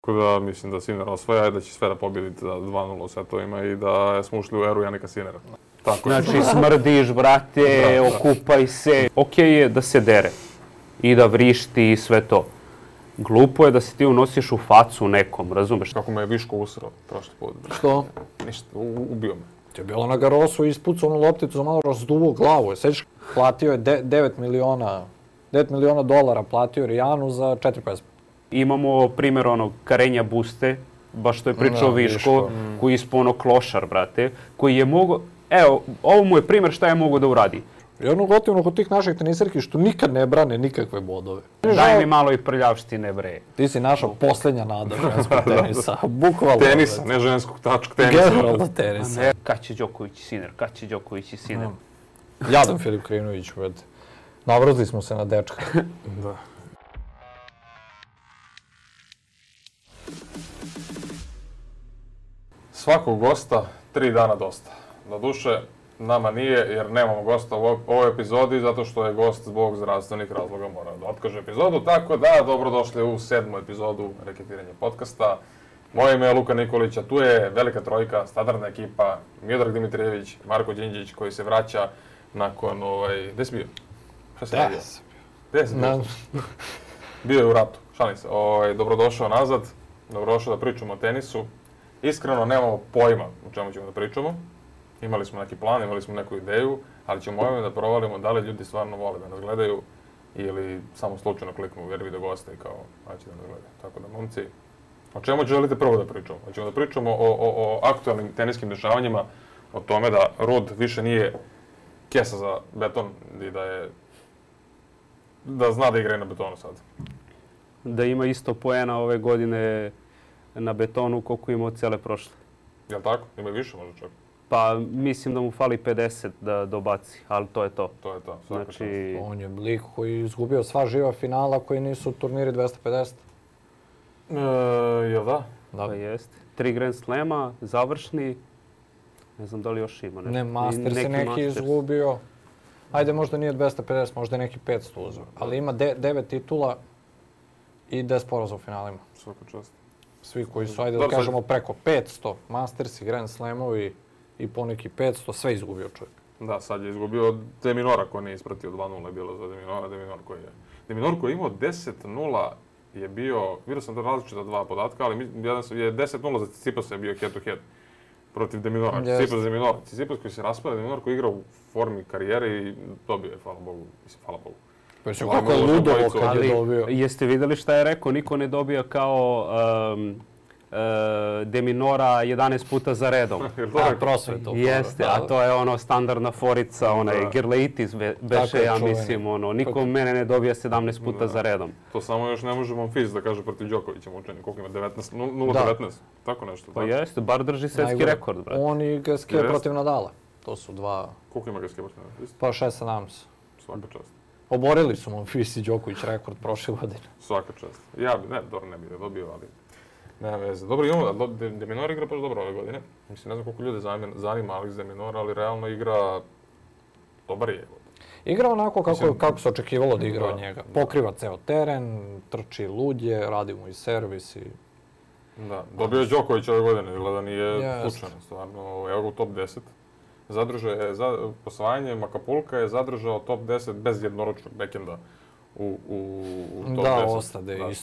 Tako da mislim da Sinner osvaja i da će sve da pobjediti za 2-0 u setovima i da smo ušli u eru Janika Sinnera. Tako je. Znači smrdiš, brate, okupaj se. Okej je da se dere i da vrišti i sve to. Glupo je da se ti unosiš u facu nekom, razumeš? Kako me je Viško usrao prošli put. Što? Ništa, ubio me. To je bilo na Garosu i ispucao onu lopticu za malo razduvo glavu. Sećaš, platio je 9 miliona dolara platio Rijanu za 4 pesme. Imamo primjer onog Karenja Buste, baš što je pričao Viško, koji je ispao ono klošar, brate, koji je mogao... Evo, ovo mu je primjer šta je mogao da uradi. I ono gotivno kod tih naših tenisarki što nikad ne brane nikakve bodove. Daj mi malo i prljavštine, bre. Ti si naša posljednja nada ženskog tenisa. Bukvalno. Tenisa, ne ženskog, tačka tenisa. Generalno tenisa. Kad će Đoković i Sinner, kad će Đoković i Sinner. Jadan Filip Krivnović, brate. Navrzli smo se na dečka. Da. Svakog gosta 3 dana dosta. Doduše, nama nije jer nemamo gosta u ovoj epizodi zato što je gost zbog zdravstvenih razloga morao da otkaže epizodu. Tako da, dobrodošli u 7. epizodu Reketiranje podcasta. Moje ime je Luka Nikolić, a tu je velika trojka, standardna ekipa, Miodrag Dimitrijević, Marko Đinđić koji se vraća nakon Gde si bio? Šta si radio? Gde si bio? Bio je u ratu, šalim se. Dobrodošao nazad, dobrodošao da pričamo o tenisu. Iskreno nemamo pojma o čemu ćemo da pričamo. Imali smo neki plan, imali smo neku ideju, ali ćemo ovime da provalimo da li ljudi stvarno vole da nas gledaju ili samo slučajno kliknu jer vide gosta i kao, će da nas gledaju. Tako da, momci, o čemu želite prvo da pričamo? Hoćemo da pričamo o aktualnim teniskim dešavanjima, o tome da Rud više nije kesa za beton i da zna da igra i na betonu sad. Da ima isto poena ove godine na betonu koliko ima od cele prošle. Jel' tako? Ima i više možda čak? Pa mislim da mu fali 50 da dobaci, ali to je to. To je to, svaka čast. On je lik koji je izgubio sva živa finala koji nisu turniri 250. Jel' da? Da, jeste. 3 Grand Slema, završni, ne znam da li još ima. Ne, Masters je neki izgubio. Ajde, možda nije 250, možda je neki 500 uzeo. Ali ima 9 titula i 10 poraza u finalima. Svaka čast. Svi koji su, ajde da kažemo, preko 500 Masters i Grand Slamovi i poneki 500, sve izgubio čovjek. Da, sad je izgubio Deminora koji nije ispratio 2-0 je bilo za Deminor koji je imao 10-0 je bio, vidio sam da različita dva podatka, ali jedan je 10-0 za Tsitsipasa je bio head to head protiv Deminora. Tsitsipas Deminor. Tsitsipas koji se raspada, Deminor koji igra u formi karijere i dobio je, hvala Bogu. Pa se kako je ludovo kad je dobio. Jeste vidjeli šta je rekao? Niko ne dobija kao Deminora 11 puta za redom. Prosveto. Jeste, a to je ono standardna forica, onaj Gerleitis beše, ja mislim, ono, niko mene ne dobija 17 puta za redom. To samo još ne može Monfils da kaže protiv Đokovića mučenje, koliko ima 0-19, tako nešto. Pa jeste, bar drži svetski rekord, brate. On i Gasquet protiv Nadala, to su dva. Koliko ima Gasquet protiv Nadala? Pa 6-17. Svaka čast. Oborili su Monfils i Đoković rekord prošle godine. Svaka čast. Ja bi, ne bi dobio, ali nema veze. Dobro, imamo, Deminor igra baš dobro ove godine. Mislim, ne znam koliko ljude zanima Alex Deminor, ali realno igra dobar je. Igra onako kako se očekivalo da igra od njega. Pokriva ceo teren, trči ludje, radi mu i servis i... Da, dobio je Đoković ove godine, gleda nije slučajno, stvarno. Evo ga u top 10. Zadržao je, posvajanjem Acapulca je zadržao top 10 bez jednoročnog bekenda u top 10. Da, ostade istorija.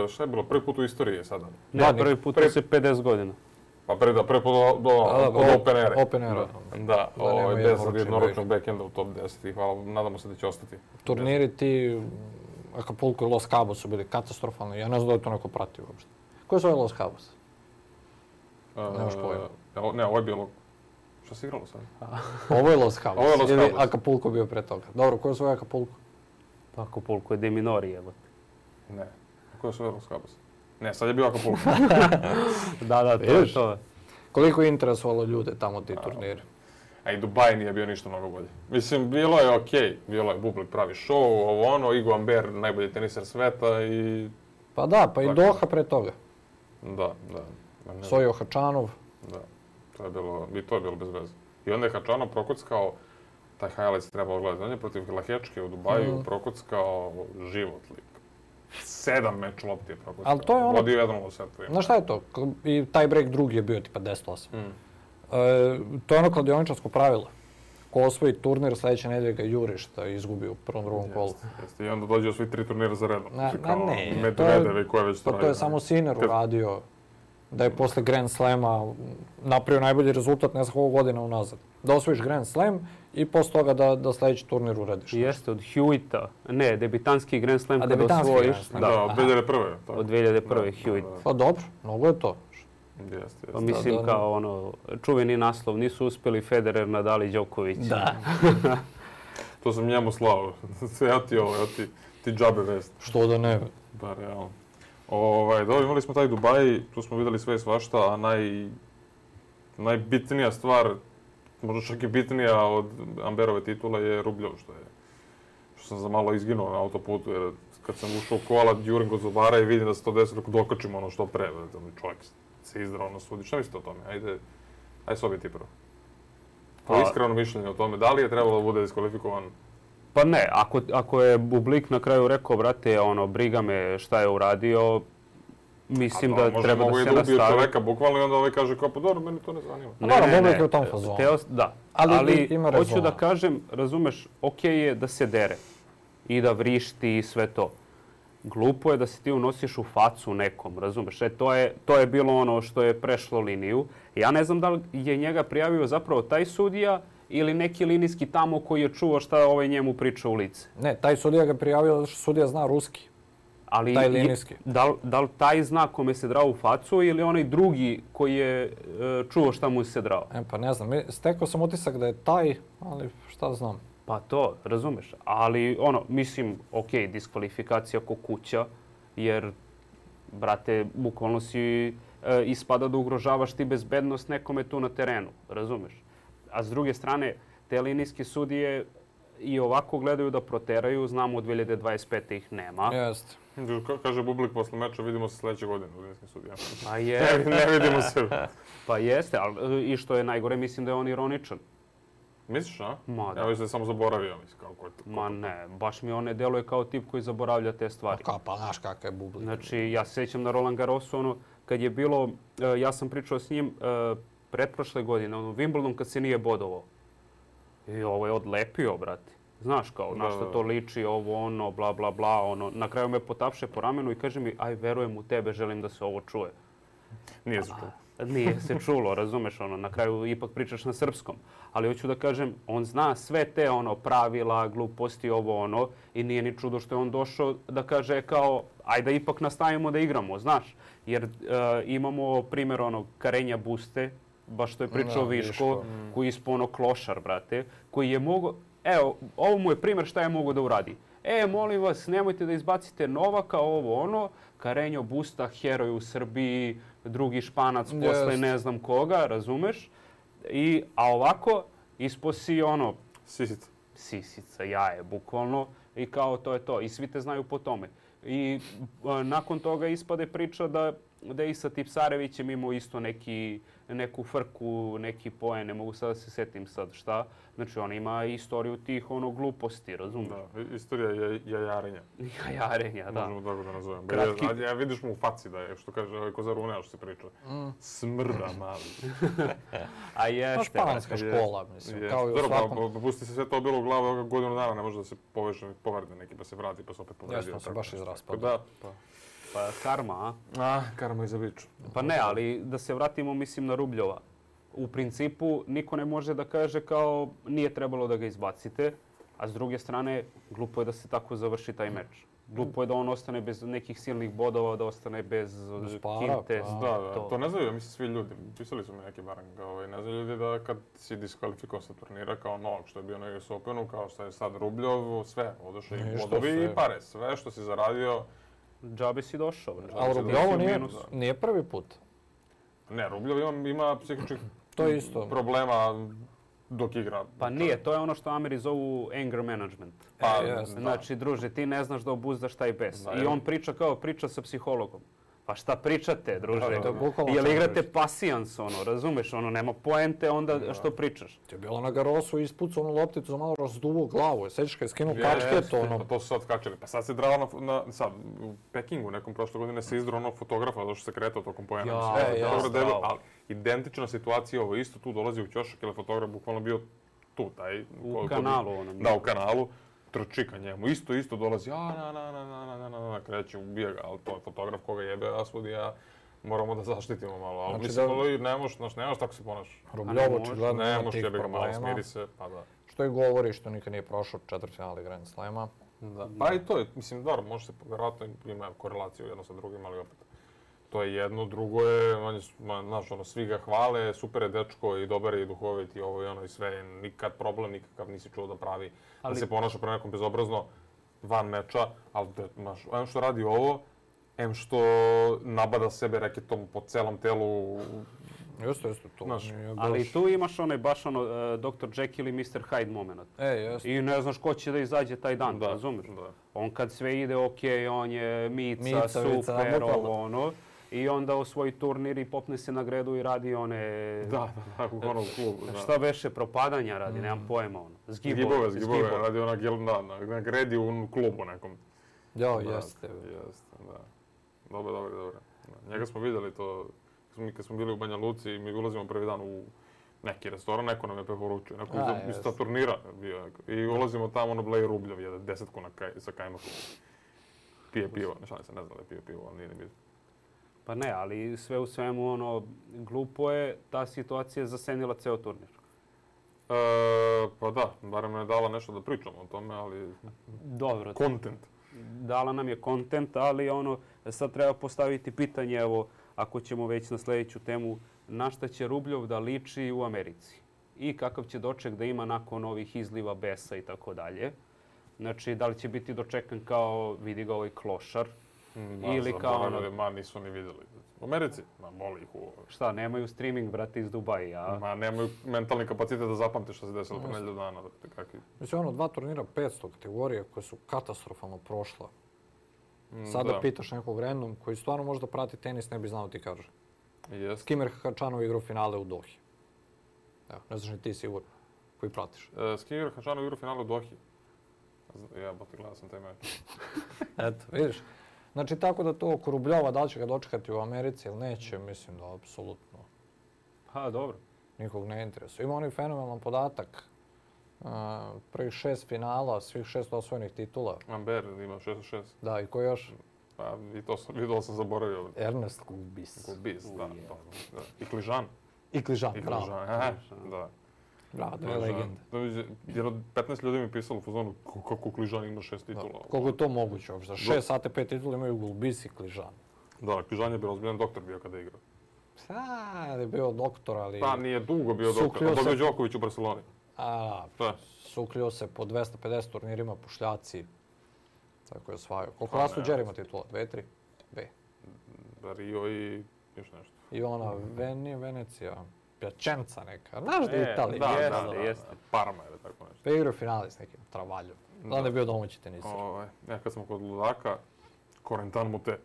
Šta je bilo prvi put u istoriji sada? Ne, prvi put se 50 godina. Pa prvi put od Open-Era. Open-Era. Da, bez jednoročnog bekenda u top 10 i hvala, nadamo se da će ostati. Turniri ti, Acapulco i Los Cabos su bili katastrofalni, ja ne znam da je to neko pratio uopšte. Koji su ovaj Los Cabos? Nemaš pojma. Ne, ovo je bilo... Što se igralo sad? Ovo je Los Cabos. Ili Acapulco bio pre toga. Dobro, koji su ovaj Acapulco? Pa Acapulco je Deminori, jebote. Ne. Koji su ovaj Los Cabos? Ne, sad je bio Acapulco. Da, to je to. Koliko je interesovalo ljude tamo ti turniri? A i Dubaj nije bio ništa mnogo bolje. Mislim, bilo je okej. Bilo je Bublik pravi show, ovo ono, Igo Amber, najbolji teniser sveta i... Pa da, pa i Doha pre toga. Da. Sojo Hačanov. Da, to je bilo bez veze. I onda je Hačanov prokockao, taj highlights trebalo gledati, on je protiv Lahečke u Dubaju prokockao život lik. 7 meč lopti je propustio. Ali to je ono... Vodio 1 u setu. Znaš šta je to? I taj break drugi je bio tipa 10-8. To je ono kladioničarsko pravilo. Ko osvoji turnir, sljedeće nedelje ga juriš da izgubi u prvom, drugom kolu. I onda dođe osvoji 3 turnira za redom. Ne, Medvedev ko je već to radio. To je samo Sinner uradio. Da je posle Grand Slama napravio najbolji rezultat ne znam koliko godina unazad. Da osvojiš Grand Slam i posle toga da sljedeći turnir uradiš. Jeste, od Hewitta. Ne, debitanski Grand Slam kada osvojiš. Da, od 2001. Od 2001. Hewitt. Pa dobro, mnogo je to. Jeste. Pa mislim kao ono, čuveni naslov, nisu uspjeli Federer, Nadal i Đoković. Da. To sam njemu slao. Ja ti džabe vest. Što da ne? Pa realno. Dobro, imali smo taj Dubai, tu smo vidjeli sve i svašta, a najbitnija stvar, možda čak i bitnija od Amberove titule je Rubljov, što sam za malo izginuo na autoputu, jer kad sam ušao u kola, jurim kod zubara i vidim da se to desi, kako dokačimo ono što pre, čovjek se izdrao na sudi. Šta mislite o tome? Ajde se objeti prvo. Pa iskreno mišljenje o tome, da li je trebalo da bude diskvalifikovan? Pa ne, ako je Bublik na kraju rekao, brate, briga me šta je uradio, mislim da treba da se nastavi. Mogu i da ubiju čoveka, bukvalno, i onda kaže kao, pa dobro, meni to ne zanima. Ne, Bublik je u tom fazonu. Da, ali hoću da kažem, razumeš, okej je da se dere i da vrišti i sve to. Glupo je da se ti unosiš u facu nekom, razumeš? To je bilo ono što je prešlo liniju. Ja ne znam da li je njega prijavio zapravo taj sudija ili neki linijski tamo koji je čuo šta njemu priča u lice. Ne, taj sudija ga prijavio zato što sudija zna ruski. Ali taj linijski. Da li taj zna kome se drao u facu ili onaj drugi koji je čuo šta mu se drao? Pa ne znam, stekao sam utisak da je taj, ali šta znam. Pa to, razumeš. Ali mislim, okej, diskvalifikacija ko kuća, jer, brate, bukvalno si ispada da ugrožavaš ti bezbednost nekome tu na terenu, razumeš. A s druge strane, te linijske sudije i ovako gledaju da proteraju, znamo od 2025. ih nema. Jeste. Kaže Bublik posle meča, vidimo se sljedeće godine u linijskim sudijama. Pa je. Ne vidimo se. Pa jeste, ali i što je najgore, mislim da je on ironičan. Misliš, a? Ma da. Ja mislim da je samo zaboravio, mislim, kao Ma ne, baš mi on ne deluje kao tip koji zaboravlja te stvari. Pa znaš kakav je Bublik. Znači, ja se sjećam na Roland Garrosu, kad je bilo, ja sam pričao s njim pretprošle godine, Wimbledon kad se nije bodovao. I ovo je odlepio, brate. Znaš kao, na što to liči, ovo, bla, bla, bla, Na kraju me potapše po ramenu i kaže mi, aj, verujem u tebe, želim da se ovo čuje. Nije se čulo. Nije se čulo, razumeš, na kraju ipak pričaš na srpskom. Ali hoću da kažem, on zna sve te pravila, gluposti, i nije ni čudo što je on došao da kaže kao, ajde ipak nastavimo da igramo, znaš. Jer imamo primjer Karenja Buste, baš što je pričao Viško, koji je ispao klošar, brate, koji je mogao, evo, ovo mu je primjer šta je mogao da uradi. Molim vas, nemojte da izbacite Novaka, Karenjo Busta, heroj u Srbiji, drugi Španac posle ne znam koga, razumeš? A ovako, ispo si Sisica. Sisica, jaje, bukvalno. I kao to je to. I svi te znaju po tome. I nakon toga ispade priča da je i sa Tipsarevićem imao isto neku frku, neki poen, ne mogu sad da se setim sad šta. Znači on ima istoriju tih gluposti, razumiješ? Da, istorija jajarenja. Jajarenja, da. Možemo tako da nazovem. Ja vidiš mu u faci da je, što kaže Kozarunea što se priča. Smrda mali. A jeste. Španska škola, mislim, kao i u svakom. Pusti se sve to bilo u glavu, godinu dana ne može da se povrede neki, pa se vrati, pa se opet povredio. Jesmo se baš izraspali. Pa karma, a? Karma iza biču. Pa ne, ali da se vratimo, mislim, na Rubljova. U principu, niko ne može da kaže kao nije trebalo da ga izbacite, a s druge strane, glupo je da se tako završi taj meč. Glupo je da on ostane bez nekih silnih bodova, da ostane bez kinte. Da, to ne znaju, mislim, svi ljudi. Pisali su mi neki barem, ne znaju ljudi da kad si diskvalifikovan sa turnira kao Novak, što je bio na US Openu, kao što je sad Rubljov, sve, odošli i bodovi i pare, sve što si zaradio. Džabe si došao. A Rubljovo nije prvi put. Ne, Rubljov ima psihičkih problema dok igra. Pa nije, to je ono što Ameri zovu anger management. Znači, druže, ti ne znaš da obuzdaš taj bes. I on priča sa psihologom. Pa šta pričate, druže? Da, bukvalno Jel šta igrate pričate? pasijans, razumeš, nema poente onda što pričaš. Ti je bilo na Garosu i ispucao onu lopticu za malo razduvo glavu. Sećaš kad je skinuo kačket, ono. To su sad kačili. Pa sad se drala sad, u Pekingu nekom prošle godine se izdrao onog fotografa, zato što se kretao tokom poena. Ali identična situacija, ovo isto tu dolazi u ćošak, jer je fotograf bukvalno bio tu, taj... U kanalu onom. Da, u kanalu. Trči ka njemu. Isto dolazi, kreće, ubija ga, ali to je fotograf koga jebe Asvodi, moramo da zaštitimo malo. Ali mislim, nemaš tako se ponašaš. Rubljovo očigledno ima tih jebe ga malo, problema. smiri se, pa da. Što i govori, što nikad nije prošao četvrtfinale Grand Slema. Da. Pa i to je, mislim, dobro, može se, vjerojatno ima korelaciju jedno sa drugim, ali opet. To je jedno, drugo je, znaš, svi ga hvale, super je dečko i dobar je i duhovit i ovo i ono i sve, nikad problem, nikakav nisi čuo da pravi, da se ponaša pre nekom bezobrazno van meča, ali znaš, em što radi ovo, em što nabada sebe reketom po celom telu. Jeste, to. Ali tu imaš baš Dr. Jekyll i Mr. Hyde moment. Jeste. I ne znaš ko će da izađe taj dan, razumiješ? On kad sve ide okej, on je Mica, super, ono. I onda osvoji turnir i popne se na gredu i radi one... Da, u onom klubu. Šta beše, propadanja radi, nemam pojma ono. Zgibove, radi na gredi u klubu nekom. Jeste, da. Dobro. Njega smo vidjeli to, kad smo bili u Banja Luci i mi ulazimo prvi dan u neki restoran, neko nam je preporučio, neko iz ta turnira bio. I ulazimo tamo, bleje Rubljov, jede 10 sa kajmakom. Pije pivo, ne znam da je pije pivo, ali nije ni bitno. Pa ne, ali sve u svemu, glupo je, ta situacija zasenila ceo turnir. Pa da, barem je dala nešto da pričamo o tome, ali... Dobro. Content. Dala nam je content, ali sad treba postaviti pitanje, evo, ako ćemo već na sljedeću temu, na šta će Rubljov da liči u Americi i kakav će doček da ima nakon ovih izliva besa i tako dalje. Znači, da li će biti dočekan kao, vidi ga ovaj klošar, ili kao nisu ni vidjeli. U Americi? Boli ih u... Šta, nemaju streaming, brate, iz Dubaja? Nemaju mentalni kapacitet da zapamte što se desilo po nedelju dana. Mislim, 2 turnira 500 kategorije koje su katastrofalno prošla. Sada pitaš nekog random koji stvarno možda prati tenis, ne bi znao ti kaže. Skimir Hačanov igrao finale u Dohi. Evo, ne znaš ni ti sigurno, koji pratiš. Skimir Hačanov igrao finale u Dohi. Gledao sam taj meč. Eto, vidiš. Znači, tako da to oko Rubljova, da li će ga dočekati u Americi ili neće, mislim da apsolutno. Pa, dobro. Nikog ne interesuje. Ima onaj fenomenalan podatak. Prvih 6 finala, svih 6 osvojenih titula. Amber ima 6-6. Da, i ko još? Pa, i to sam zaboravio. Ernest Gulbis. Gulbis, da. I Kližan. Bravo. Da. Bravo, to je legenda. Jedno 15 ljudi mi pisalo u fazonu kako Kližan ima 6 titula. Koliko je to moguće uopšte? 6 ATP titula imaju Gulbis i Kližan. Da, Kližan je bio ozbiljan doktor bio kada je igrao. Sad je bio doktor, ali... Pa nije dugo bio doktor, a dobio Đoković u Barceloni. Suklio se po 250 turnirima pušljaci. Tako je osvajao. Koliko Laslo Đer ima titula? 2, 3? 2. Rio i još nešto. I ona Venecija, Piacenza neka. Znaš da je Italija? Jeste. Parma ili tako nešto. Pa igrao finali s nekim Travaljom. Onda je bio domaći tenisar. Kad smo kod ludaka, Corentin Moutet.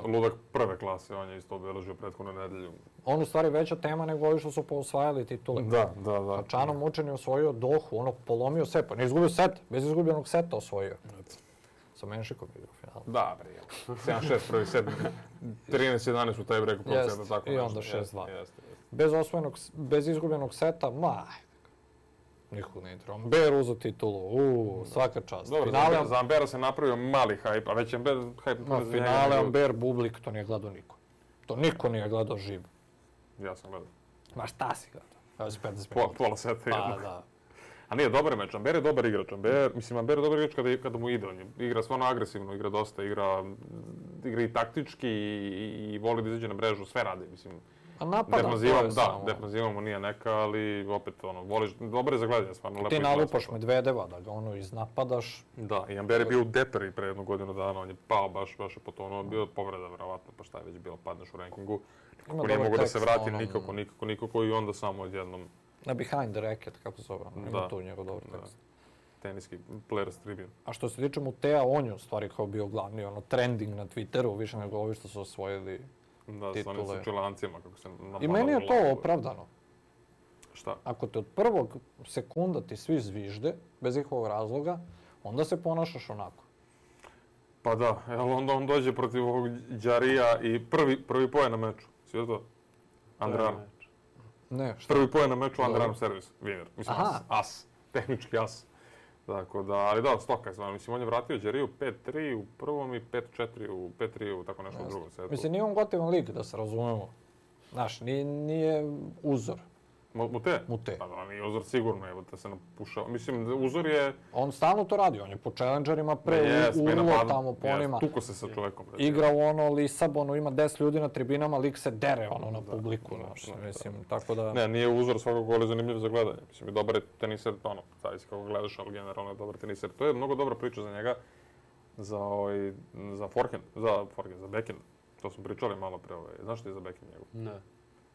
Ludak prve klase, on je isto obeležio prethodnu nedelju. On u stvari veća tema nego ovi što su osvajali titule. Da. Hačanov Mučen je osvojio Dohu, polomio set, pa ne izgubio set, bez izgubljenog seta osvojio. Sa Menšikom igrao finalu. Da, bre, 7-6 prvi set, 13-11 u taj breku procenta, tako nešto. I onda 6-2. Bez izgubljenog seta, nikog ne interesuje. Amber uzeo titulu, svaka čast. Dobro, za Ambera se napravio mali hajp, a već Amber hajp... Finale Amber Bublik, to nije gledao niko. To niko nije gledao živ. Ja sam gledao. Ma šta si gledao? Evo si 15 minuta. Pola seta jednog. Pa da. A nije, dobar je meč. Amber je dobar igrač. Amber je dobar igrač kada mu ide. On igra stvarno agresivno, igra dosta, igra i taktički i voli da izađe na mrežu, sve radi, mislim. A napadam to je samo. Defanzivamo nije neka, ali opet voliš, dobro je za gledanje, stvarno lepo. Ti nalupaš Medvedeva da ga iznapadaš. Da, i Amber je bio u deperi pre jednu godinu dana, on je pao baš je potonuo, bio povreda verovatno, pa šta je već bilo, padneš u rankingu. Nikako nije mogo da se vrati, nikako i onda samo odjednom. Na Behind the Racket, kako se zove, ima tu njegov dobar tekst. teniski Players Tribune. A što se tiče Mutea, on je u stvari kao bio glavni trending na Twitteru, više nego ovi što su osvojili da, titule. Da, s onim Čilancima, kako se napadalo. I meni je to opravdano. Šta? Ako te od prvog sekunda ti svi zvižde, bez ikakvog razloga, onda se ponašaš onako. Pa da, onda on dođe protiv ovog Đarija i prvi poje na meču. Svi to? Underarm. Ne, šta? Prvi poje na meču, underarm servis. Winner. Mislim, as. Tehnički as. Tako da, ali da, stoka je. Mislim, on je vratio Đariju 5-3 u prvom i 5-4 u tako nešto u drugom setu. Mislim, nije on gotivan lik, da se razumemo. Znaš, nije uzor. Mute? Mute. Pa da, nije uzor sigurno, evo da se napušao. Mislim, uzor je... On stalno to radi, on je po challengerima urlo tamo po onima. Tuko se sa čovekom. Igra u Lisabonu, ima 10 ljudi na tribinama, lik se dere na publiku. Mislim, tako da... Ne, nije uzor, svakog gola je zanimljiv za gledanje. Mislim, i dobar je teniser, zavisi kako gledaš, ali generalno je dobar teniser. To je mnogo dobra priča za njega, za forehand, za backhand. To smo pričali malo pre. Znaš što je za backhand njegov? Ne.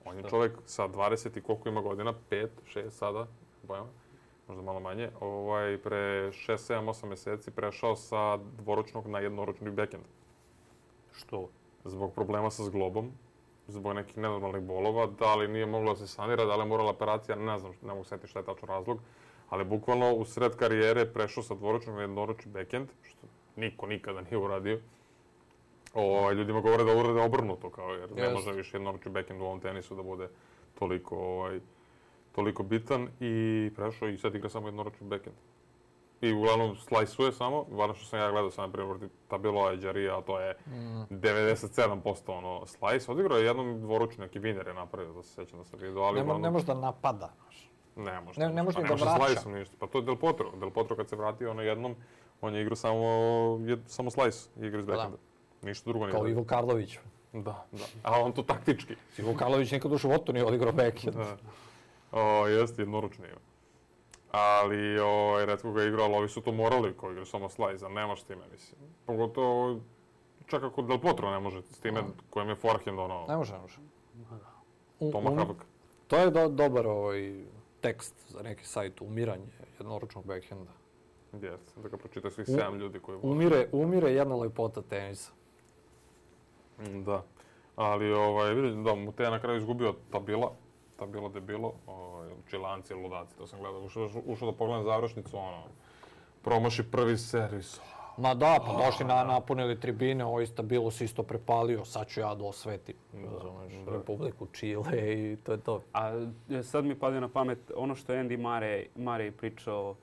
On je čovjek sa 20 i koliko ima godina, 5, 6 sada, bojama, možda malo manje, pre 6, 7, 8 mjeseci prešao sa dvoročnog na jednoročni backhand. Što? Zbog problema sa zglobom, zbog nekih nenormalnih bolova, da li nije moglo da se sanira, da li je morala operacija, ne znam, ne mogu setiti šta je tačno razlog, ali bukvalno u sred karijere prešao sa dvoročnog na jednoročni backhand, što niko nikada nije uradio. Ljudima govore da urade obrnuto, jer ne može više jednoročni backhand u ovom tenisu da bude toliko bitan i prešao i sad igra samo jednoročni backhand. I uglavnom slajsuje samo, varno što sam ja gledao sam na primjer Tabeloa i Đarija, a to je 97% slajs. Odigrao je jednom dvoručni, neki Wiener je napravio, da se sjećam da sam vidio, ali ne može da napada. Ne može ni da vraća. Slajsom ništa. Pa to je Del Potro. Del Potro kad se vratio jednom, on je igrao samo slajs, igra iz backhanda. Ništa drugo nije. Kao Ivo Karlović. Da. A on to taktički. Ivo Karlović nikad u životu nije odigrao backhand. Jeste, jednoručno ima. Ali, retko ga je igrao, ali ovi su to morali koji igraju samo slajz, a nemaš s time, mislim. Pogotovo, čak ako Del Potro ne može s time kojem je forehand, Ne može. Tomahawk. To je dobar tekst za neki sajt, umiranje jednoručnog backhanda. Jeste, da ga pročita svih 7 ljudi koji vole. Umire jedna lepota tenisa. Da, ali vidim da Mute je na kraju izgubio Tabila debilo, Čilanci, ludaci, to sam gledao. Ušao da pogledam završnicu, promaši prvi servis. Ma da, pa došli napunili tribine, Tabilo se isto prepalio, sad ću ja da osvetim, razumeš, Republiku Čile i to je to. A sad mi padne na pamet ono što je Andy Murray pričao,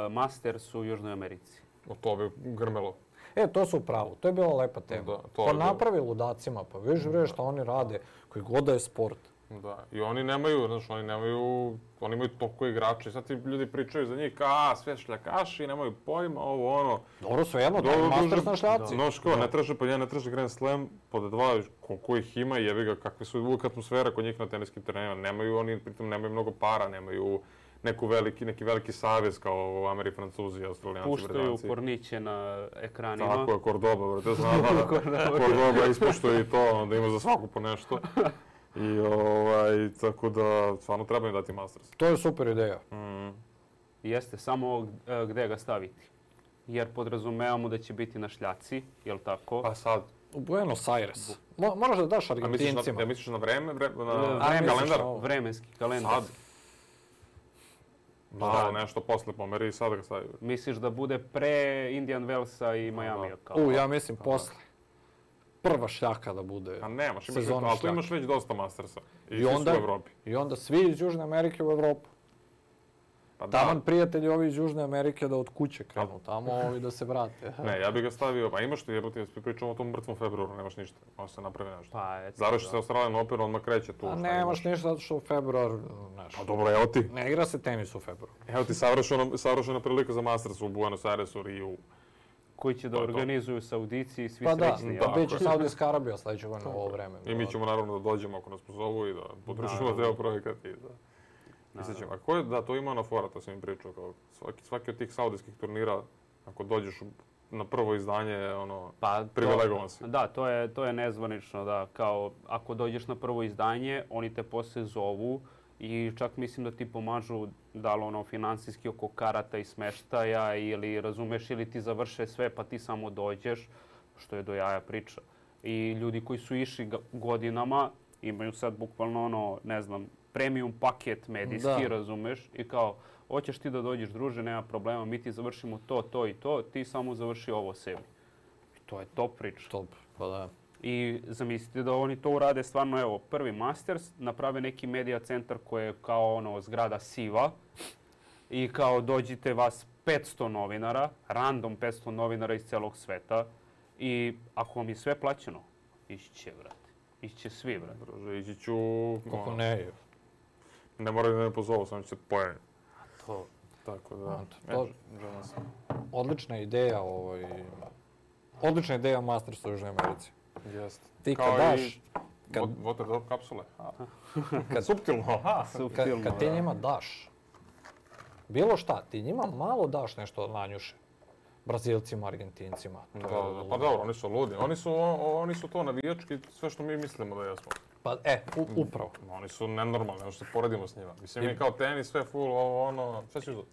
Masters u Južnoj Americi. To bi grmelo. To su u pravu, to je bila lepa tema. Pa napravi ludacima, pa viš šta oni rade, koji god da je sport. Da, i oni nemaju, oni imaju toliko igrača. Sad ti ljudi pričaju za njih sve šljakaši, nemaju pojma, Dobro, svejedno, Masters na šljaci. Znaš kao, ne traže Grand Slam, pod dva, koliko ih ima, jebi ga, kakve su uvijek atmosfera kod njih na teniskim terenima. Nemaju oni, pritom nemaju mnogo para, nemaju neki veliki savez kao Ameri, Francuzi, Australijanci, Britanci. Puštaju porniće na ekranima. Tako je, Cordoba, brate, znam Cordoba ispuštuje i to, da ima za svaku po nešto. I tako da, stvarno treba im dati Masters. To je super ideja. Jeste, samo gde ga staviti. Jer podrazumevamo da će biti na šljaci, jel tako? Pa sad. U Buenos Aires. Moraš da daš Argentincima. Misliš na vreme? Kalendar? Vremenski kalendar. Sad? Malo nešto posle pomeri i sad ga stavi. Misliš da bude pre Indian Wellsa i Miamija? Ja mislim posle. Prva šljaka da bude. A nemaš, ali tu imaš već dosta Mastersa. I svi su u Evropi. I onda svi iz Južne Amerike u Evropu. Taman prijatelji ovi iz Južne Amerike da od kuće krenu tamo i da se vrate. Ne, ja bih ga stavio, pa imaš ti, pričamo o tom mrtvom februaru, nemaš ništa, može se napravi nešto. Završi se Australian Open, odmah kreće tu. A nemaš ništa zato što u februar, znaš. Pa dobro, evo ti. Ne igra se tenis u februaru. Evo ti savršena prilika za Masters u Buenos Airesu, Riju. Koji će da organizuju Saudici i svi srećni. Pa da, bit će Saudijska Arabija sljedeće godine u ovo vreme. I mi ćemo naravno da dođemo ako nas pozovu i da podržimo deo projekat i da... A to ima na fora, to sam im pričao, kao svaki od tih saudijskih turnira, ako dođeš na prvo izdanje, privilegovan si. Da, to je nezvanično, da, kao ako dođeš na prvo izdanje, oni te posle zovu I čak mislim da ti pomažu da li ono finansijski oko karata i smeštaja ili razumeš ili ti završe sve pa ti samo dođeš, što je do jaja priča. I ljudi koji su išli godinama imaju sad bukvalno ono, ne znam, premium paket medijski, razumeš? I kao, hoćeš ti da dođeš druže, nema problema, mi ti završimo to i to, ti samo završi ovo sebi. I to je top priča. Top, pa da. I zamislite da oni to urade stvarno, evo, prvi Masters, naprave neki medija centar koji je kao ono zgrada siva i kao dođite vas 500 novinara, random 500 novinara iz celog sveta i ako vam je sve plaćeno, ići će, brate. Ići će svi, brate. Druže, ići ću... Kako ne? Ne moraju da me pozovu, samo će se pojaviti. To. Tako da... Odlična ideja, odlična ideja o Mastersu u Južnoj Americi. Jeste. Ti kad daš... Water drop kapsule. Suptilno. Kad ti njima daš bilo šta, ti njima malo daš nešto od Lanjuše. Brazilcima, Argentincima. Pa dobro, oni su ludi. Oni su to navijački, sve što mi mislimo da jesmo. Pa upravo. Oni su nenormalni, ono što se poredimo s njima. Mislim, mi kao tenis, sve full, ono, sve će uzeti.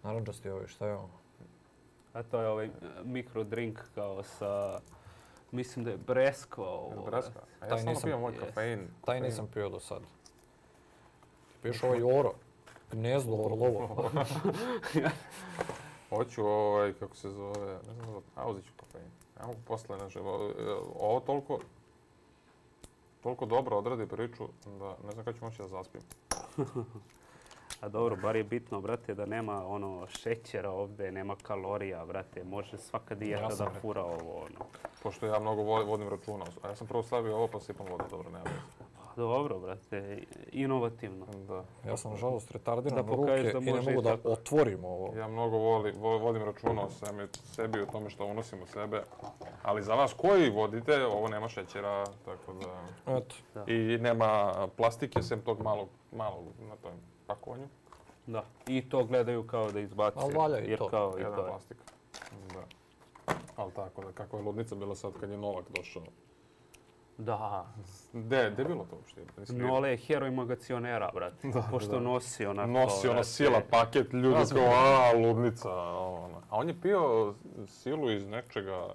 Naranđasti šta je ovo? A to je ovaj mikro drink kao sa, mislim da je breskva ovo. Breskva? A ja samo pijem moj kafein. Taj nisam pio do sad. Ti piješ ovaj oro. Gnezdo orlovo. Hoću kako se zove, ne znam, uzet ću kafein. Ja mogu posle nešto. Ovo toliko dobro odradi priču da ne znam kada ću moći da zaspim. A dobro, bar je bitno, brate, da nema ono šećera ovdje, nema kalorija, brate. Može svaka dijeta da fura ovo, ono. Pošto ja mnogo vodim računa. A ja sam prvo stavio ovo pa sipam vodu, dobro, nema veze. Dobro, brate, inovativno. Da. Ja sam nažalost retardiran ruke i ne mogu da otvorim ovo. Ja mnogo vodim računa o sebi, o tome što unosim u sebe. Ali za vas koji vodite, ovo nema šećera, tako da... Eto. I nema plastike, sem tog malog na tom pakovanju. Da, i to gledaju kao da izbace. Ali valja i to. Kao jedan plastik. Da. Ali tako da, kakva je ludnica bila sad kad je Novak došao. Da. Gdje je bilo to uopšte? Nole je heroj magacionera, brate. Pošto nosi onako... Nosi ono sila paket, ljudi kao, ludnica. A on je pio silu iz nečega,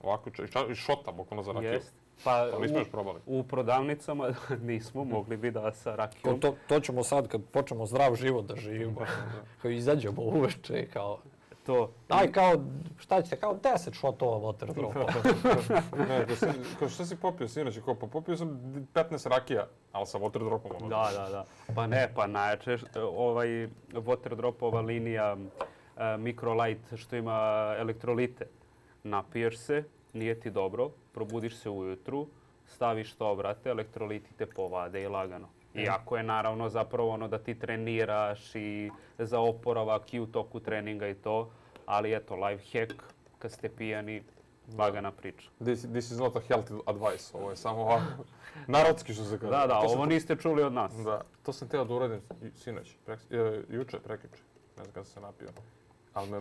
ovako, iz šota, bukvalno za rakiju. Pa nismo još probali. U prodavnicama nismo, mogli bi da sa rakijom. To ćemo sad kad počnemo zdrav život da živimo. Kao izađemo uveče i kao... Daj kao, šta ćete, kao 10 šotova water dropa. Ne, kao šta si popio sinoć? Pa popio sam 15 rakija, ali sa water dropom. Da. Pa najjače water dropova linija Microlight što ima elektrolite. Napiješ se, nije ti dobro, probudiš se ujutru, staviš to, brate, elektroliti te povade i lagano. Iako je naravno zapravo ono da ti treniraš i za oporavak i u toku treninga i to, ali eto, life hack, kad ste pijani, lagana priča. This is not a healthy advice, ovo je samo ovako, narodski što se kaže. Da, ovo niste čuli od nas. Da, to sam teo da uradim sinoć, prekjuče, ne znam kada sam se napio.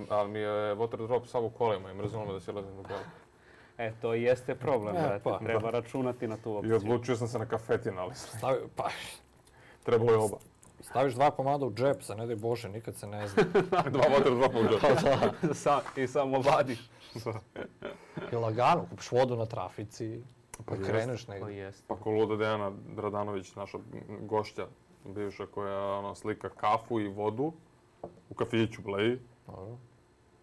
Ali mi je water drop sav u kolima i mrzilo me da si lezim u kola. To jeste problem, brate. Treba računati na tu opciju. I odlučio sam se na kafetin, ali trebalo je oba. Staviš 2 komada u džep, sa ne daj Bože, nikad se ne zna. 2 water dropa u džep. I samo vadiš. I lagano, kupiš vodu na trafici, pa kreneš negdje. Pa ko luda Dejana Radanović, naša gošća, bivša koja slika kafu i vodu u kafiću, bleji.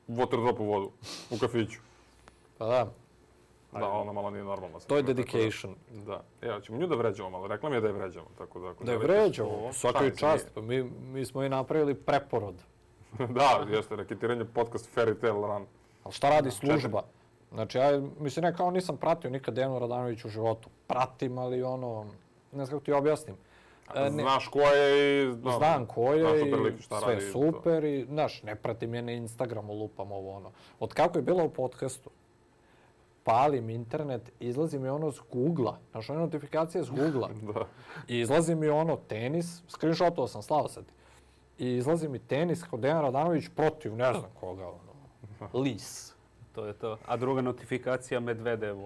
Water drop u vodu, u kafiću. Pa da. Da, ona malo nije normalna. To je dedication. Da. Ja ćemo nju da vređamo, ali rekla mi je da je vređamo. Da je vređamo, svaka je čast. Mi smo i napravili preporod. Da, jeste, reketiranje podcast Fairy Tail Run. Ali šta radi služba? Znači, ja mislim, kao nisam pratio nikad Dejanu Radanović u životu. Pratim, ali ne znam kako ti objasnim. Znaš ko je i... Znam ko je i sve super i, znaš, ne pratim je na Instagramu, lupam ovo. Od kako je bila u podcastu, palim internet, izlazi mi ono s Google-a, znaš, one notifikacije s Google-a. I izlazi mi tenis, screenshotovao sam, slao sad. I izlazi mi tenis kao Dejan Radanović protiv, ne znam koga, Lis. To je to. A druga notifikacija Medvedev,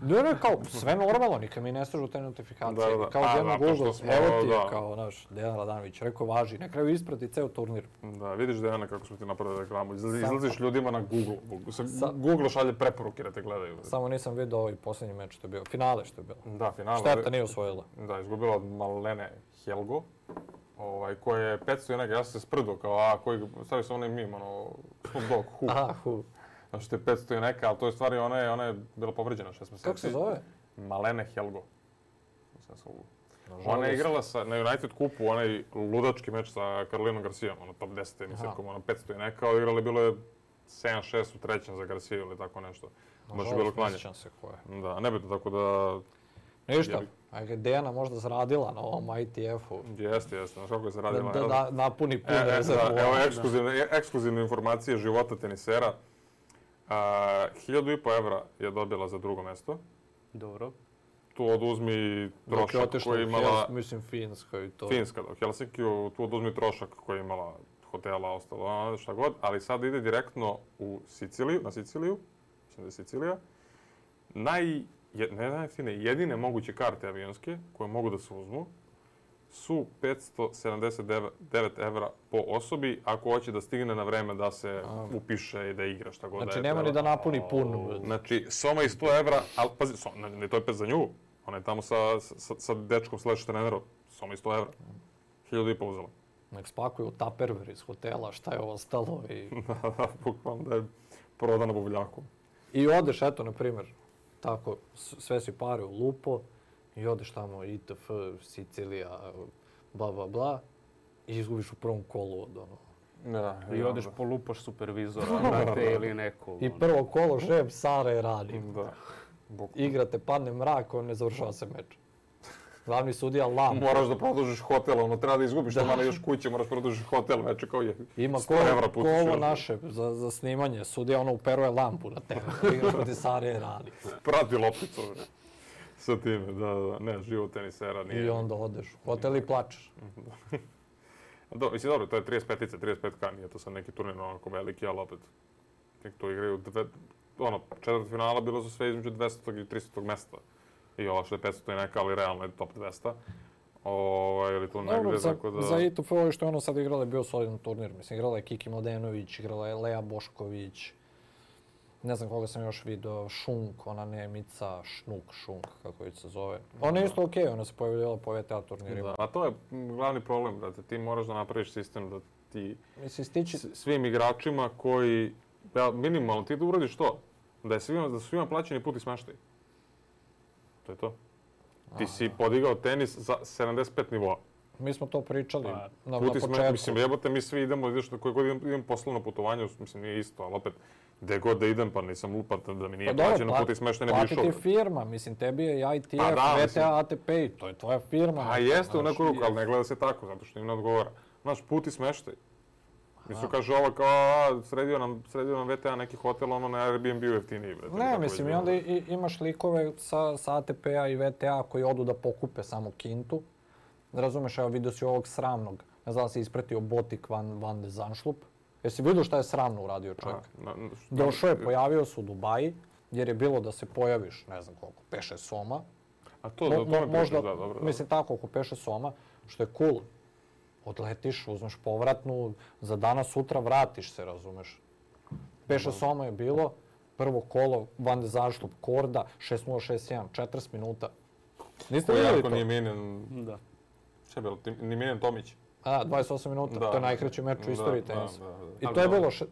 Ne, kao sve normalno, nikad mi ne stižu te notifikacije. Da. Kao jedno Google, smo, evo ti je da. kao naš Dejan Radanović, rekao važi, na kraju isprati ceo turnir. Da, vidiš Dejana kako smo ti napravili reklamu. Izlaziš ljudima na Google. Google šalje preporuke da te gledaju. Samo nisam vidio ovaj posljednji meč što je bio, finale što je bilo. Da, finale. Šteta nije osvojila. Da, izgubila od Malene Helgo. Koja je 500 i neka, ja sam se sprdo kao, stavio sam onaj mim, Snoop Dogg, Hu. Aha, Hu. Znači to je 500 i neka, ali to je stvari, ona je bila povređena 6 mjeseci. Kako se zove? Malene Helgo. Ona je igrala na United kupu, onaj ludački meč sa Karolinom Garcijom, top 10 emisijom, 500 i neka, odigrali bilo je 7-6 u trećem za Garciju ili tako nešto. Baš je bilo klanje. Sjećam se ko je. Da, nebitno, tako da... Ništa, Dejana možda zaradila na ovom ITF-u. Jeste, znaš kako je zaradila. Da napuni pun rezervu. Evo ekskluzivne informacije života tenisera. 1.500 evra je dobila za drugo mesto. Dobro. Tu oduzmi trošak koji je imala... Mislim Finska i to. Finska, da, u Helsinkiju, tu oduzmi trošak koji je imala hotela, ostalo, šta god, ali sad ide direktno u Siciliju, na Siciliju, mislim da je Sicilija. Jedine moguće karte avionske koje mogu da se uzmu su 579 evra po osobi ako hoće da stigne na vreme da se upiše i da igra šta god da je. Znači nema ni da napuni pun. Znači, soma i 100 evra, ali pazi, ne to je pet za nju. Ona je tamo sa dečkom / trenerom. Soma i 100 evra. 1.500 uzela. Nek spakuju Tupperware iz hotela, šta je ostalo i... Da, bukvalno da je prodano buvljakom. I odeš, eto, na primjer, tako, sve si pare u lupo i odeš tamo ITF, Sicilija, bla, bla, bla i izgubiš u prvom kolu od Da, i odeš po lupoš supervizora, brate, ili neko. I prvo kolo šef Sare radi. Da. Igrate, padne mrak, ne završava se meč. Glavni sudija lampu. Moraš da produžiš hotel, treba da izgubiš što malo još kuće, moraš produžiš hotel, veče kao je 100 evra pustiš. Ima ovo naše za snimanje, sudija uperuje lampu na tebe. Igraš proti Sare radi. Prati lopticu, sa time, da, ne, život tenisera nije... I onda odeš u hotel i plačeš. Mislim, dobro, to je 35-ice, 35K, nije to sad neki turnir onako veliki, ali opet, to igraju, četvrt finala bilo su sve između 200. i 300. mesta. I ovo što je 500 i neka, ali realno je top 200. Ili tu negdje, tako da... Za ITF ovo što je sad igrala je bio solidan turnir. Mislim, igrala je Kiki Mladenović, igrala je Lea Bošković. Ne znam koga sam još vidio, Šunk, ona Nemica, Šunk, kako već se zove. Ona je isto okej, ona se pojavljivala po VTA turnirima. A to je glavni problem, brate. Ti moraš da napraviš sistem da ti svim igračima koji, minimalno, ti da uradiš to, da su svima plaćeni put i smeštaj. To je to. Ti si podigao tenis za 75 nivoa. Mi smo to pričali na početku. Mislim, jebote, mi svi idemo, koje god idem poslovno putovanje, mislim, nije isto, ali opet, gde god da idem, pa nisam lupat da mi nije plaćeno put i smeštaj ne bi išao. Platiti firma, mislim, tebi je ITF, VTA, ATP, to je tvoja firma. A jeste u neku ruku, ali ne gleda se tako, zato što im ne odgovara. Znaš, put i smeštaj. Mislim, kaže ovo kao, sredio nam VTA neki hotel, na Airbnb-u jeftiniji. Ne, mislim, i onda imaš likove sa ATP-a i VTA koji odu da pokupe samo kintu. Razumeš, evo vidio si ovog sramnog, ne znam da si ispratio Botik van de Zandschulp. Jesi vidio šta je sramno uradio čovjek? Došao je, pojavio se u Dubaji, jer je bilo da se pojaviš, ne znam koliko, 5-6 soma. A to me pričaš, da, dobro. Mislim tako, oko 5-6 soma, što je cool. Odletiš, uzmeš povratnu, za danas, sutra vratiš se, razumeš. 5-6 soma je bilo, prvo kolo, Van de Zandschulp, Korda, 6-0, 6-1, 40 minuta. Niste vidjeli to? Nije menjen... Da. Šta je bilo? Nije menjen Tomić? 28 minuta, to je najkraći meč u istoriji tenisa. I to je bilo 6-0,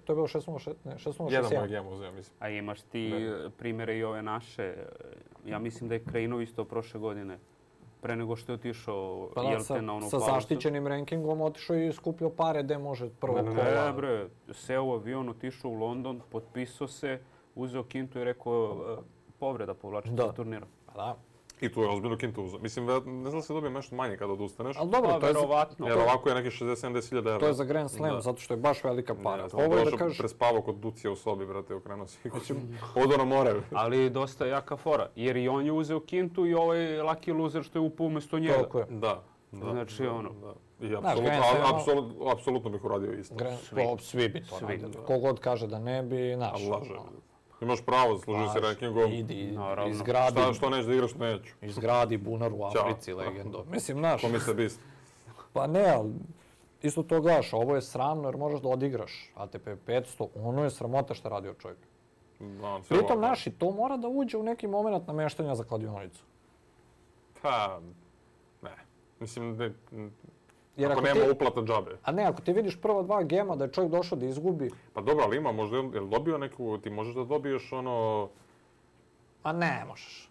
6-1. Jedan moj gem uzeo, mislim. A imaš ti primjere i ove naše. Ja mislim da je Krejnov isto prošle godine. Pre nego što je otišao Jelte na onu pauzu. Sa zaštićenim rankingom otišao i skupio pare gde može prvo kola. Ne bre, seo u avion, otišao u London, potpisao se, uzeo kintu i rekao povreda povlačiti sa turnira. Da. I tu je ozbiljno kintu uzeo. Mislim, ne znam da se dobije nešto manje kada odustaneš. Ali dobro, to je verovatno. Jer ovako je neki 60-70 hiljada evra. To je za Grand Slam, zato što je baš velika para. Ovo je da kažeš... Prespavao kod Ducija u sobi, brate, okrenuo si. Odo na more. Ali dosta jaka fora, jer i on je uzeo kintu i ovaj lucky loser što je upao umjesto njega. Toliko je. Da. Znači ono. I apsolutno bih uradio isto. Svi bi to radili. Kogod kaže da ne bi, znaš. Imaš pravo, zaslužio si rankingom. Idi, izgradi. Što nećeš da igraš, neću. Izgradi bunar u Africi, legendo. Mislim, znaš... Ko misle bist? Pa ne, ali isto to gledaš, ovo je sramno jer možeš da odigraš ATP 500, ono je sramota što radio čovjek. Pritom, naši, to mora da uđe u neki moment nameštanja za kladionicu. Pa, ne. Mislim, ako nema uplata džabe. A ne, ako ti vidiš prva 2 gema da je čovjek došao da izgubi... Pa dobro, ali ima, možda je dobio neku, ti možeš da dobiješ ono... A ne možeš.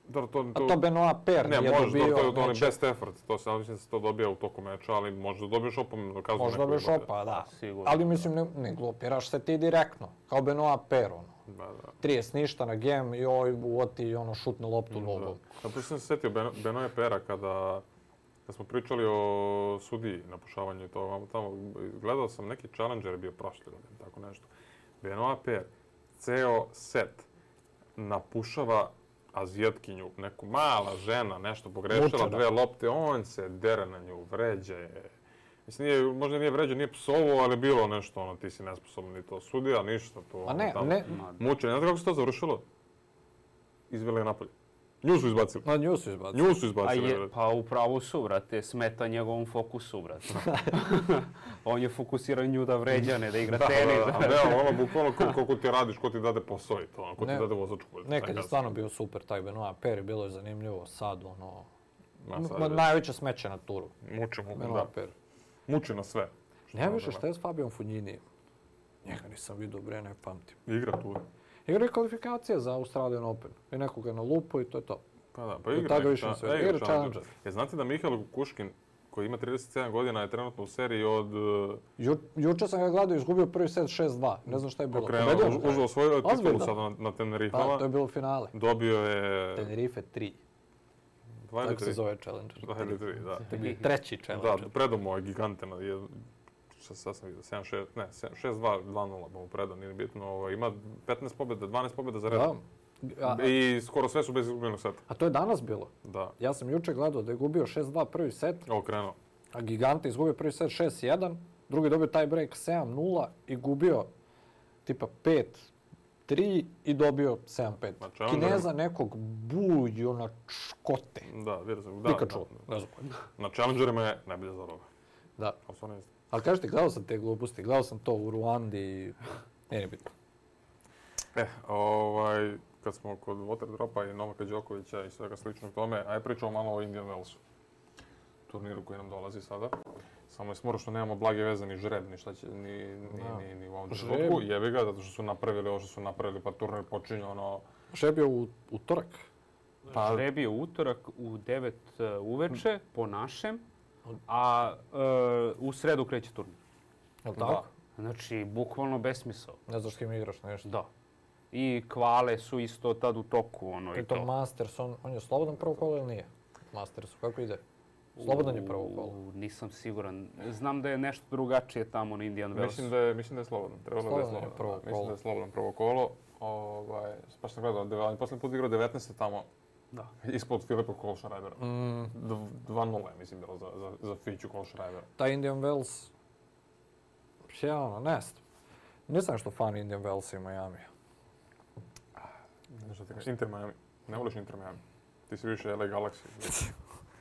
A to Benoit Paire nije dobio... Ne, to je best effort, to mislim da se to dobija u toku meča, ali možda dobiješ opomenu. Možda dobiješ da. Ali mislim, ne glupiraš se ti direktno, kao Benoit Paire, ono. Da. 30 ništa na gem i oti šutne loptu nogom. A tu sam se setio Benoit Paire kada smo pričali o sudiji na pušavanju i to tamo. Gledao sam neki Challenger je bio prošli godin, tako nešto. Benoit Paire ceo set napušava Azijatkinju, neku mala žena, nešto pogrešila, 2 lopte, on se dere na nju, vređa je. Mislim, možda nije vređao, nije psovo, ali bilo nešto, ono, ti si nesposoban i to sudija, ništa, to... A ne. Mučenje. Znate kako se to završilo? Izveli je napolje. Nju su izbacili. Nju su izbacili. Pa upravo su, brate, smeta njegovom fokusu, brate. On je fokusirao nju da vređa, ne da igra tenis. Da, bukvalno koliko ti radiš, ko ti dade posao i to, ko ti dade vozačku. Nekad je stvarno bio super taj Benoit Paire, bilo je zanimljivo, sad, najveće smeće na turu. Muči na sve. Ne više šta je s Fabijom Fogninijem. Njega nisam vidio, bre, ne pamtim. Igra tu. Igra je kvalifikacija za Australian Open. I nekoga na lupu i to je to. Pa da, pa igra Challenger. Znate da Mihail Kukushkin, koji ima 37 godina, je trenutno u seriji od... Juče sam ga gledao i izgubio prvi set 6-2. Ne znam šta je bilo. Uzeo svoju titulu sada na Tenerifama. Pa, to je bilo finale. Dobio je... Tenerife 3. Tako se zove Challenger. 2 ili 3, da. To je treći Challenger. Da, predomo je gigantena. Sad sam vidio, 7-6, ne, 6-2, 2-0 mu predao, nije bitno. Ima 15 pobjeda, 12 pobjeda za redom. I skoro sve su bez izgubljenog seta. A to je danas bilo? Da. Ja sam juče gledao da je gubio 6-2 prvi set. Krenuo. A Gigante izgubio prvi set 6-1, drugi dobio tie break 7-0 i gubio tipa 5-3 i dobio 7-5. Kineza nekog buju na škote. Da, vidio sam. Pikachu, ne znam. Na Challengerima je najbolje za roga. Da. Ali kažete, gledao sam te gluposti, gledao sam to u Ruandi i nije bitno. Kad smo kod Waterdropa i Novaka Đokovića i svega sličnog tome, aj pričamo malo o Indian Wellsu. Turniru koji nam dolazi sada. Samo je smoro što nemamo blage veze ni žreb, ni šta će, ni u ovom trenutku. Jebi ga, zato što su napravili ovo što su napravili, pa turnir počinje ono... Žreb je u utorak? Žreb je u utorak u 9 uveče po našem. A u sredu kreće turnir. Je li tako? Znači, bukvalno besmisao. Ne znaš s kim igraš nešto? Da. I kvale su isto tad u toku, i to. Masters, on je slobodan prvo kolo ili nije? Mastersu, kako ide? Slobodan je prvo kolo. Nisam siguran. Znam da je nešto drugačije tamo na Indian Wells. Mislim da je slobodan. Trebalo da je slobodan. Mislim da je slobodan prvo kolo. Baš sam gledao, ali posljednji put igrao 19. tamo. Da. Ispod Filipa Kohlschreibera. 2-0 je, mislim, bilo za Fiću Kohlschreibera. Taj Indian Wells... Nisam što fan Indian Wells i Miami. Ne što ti kažeš, Inter Miami. Ne voliš Inter Miami. Ti si više LA Galaxy.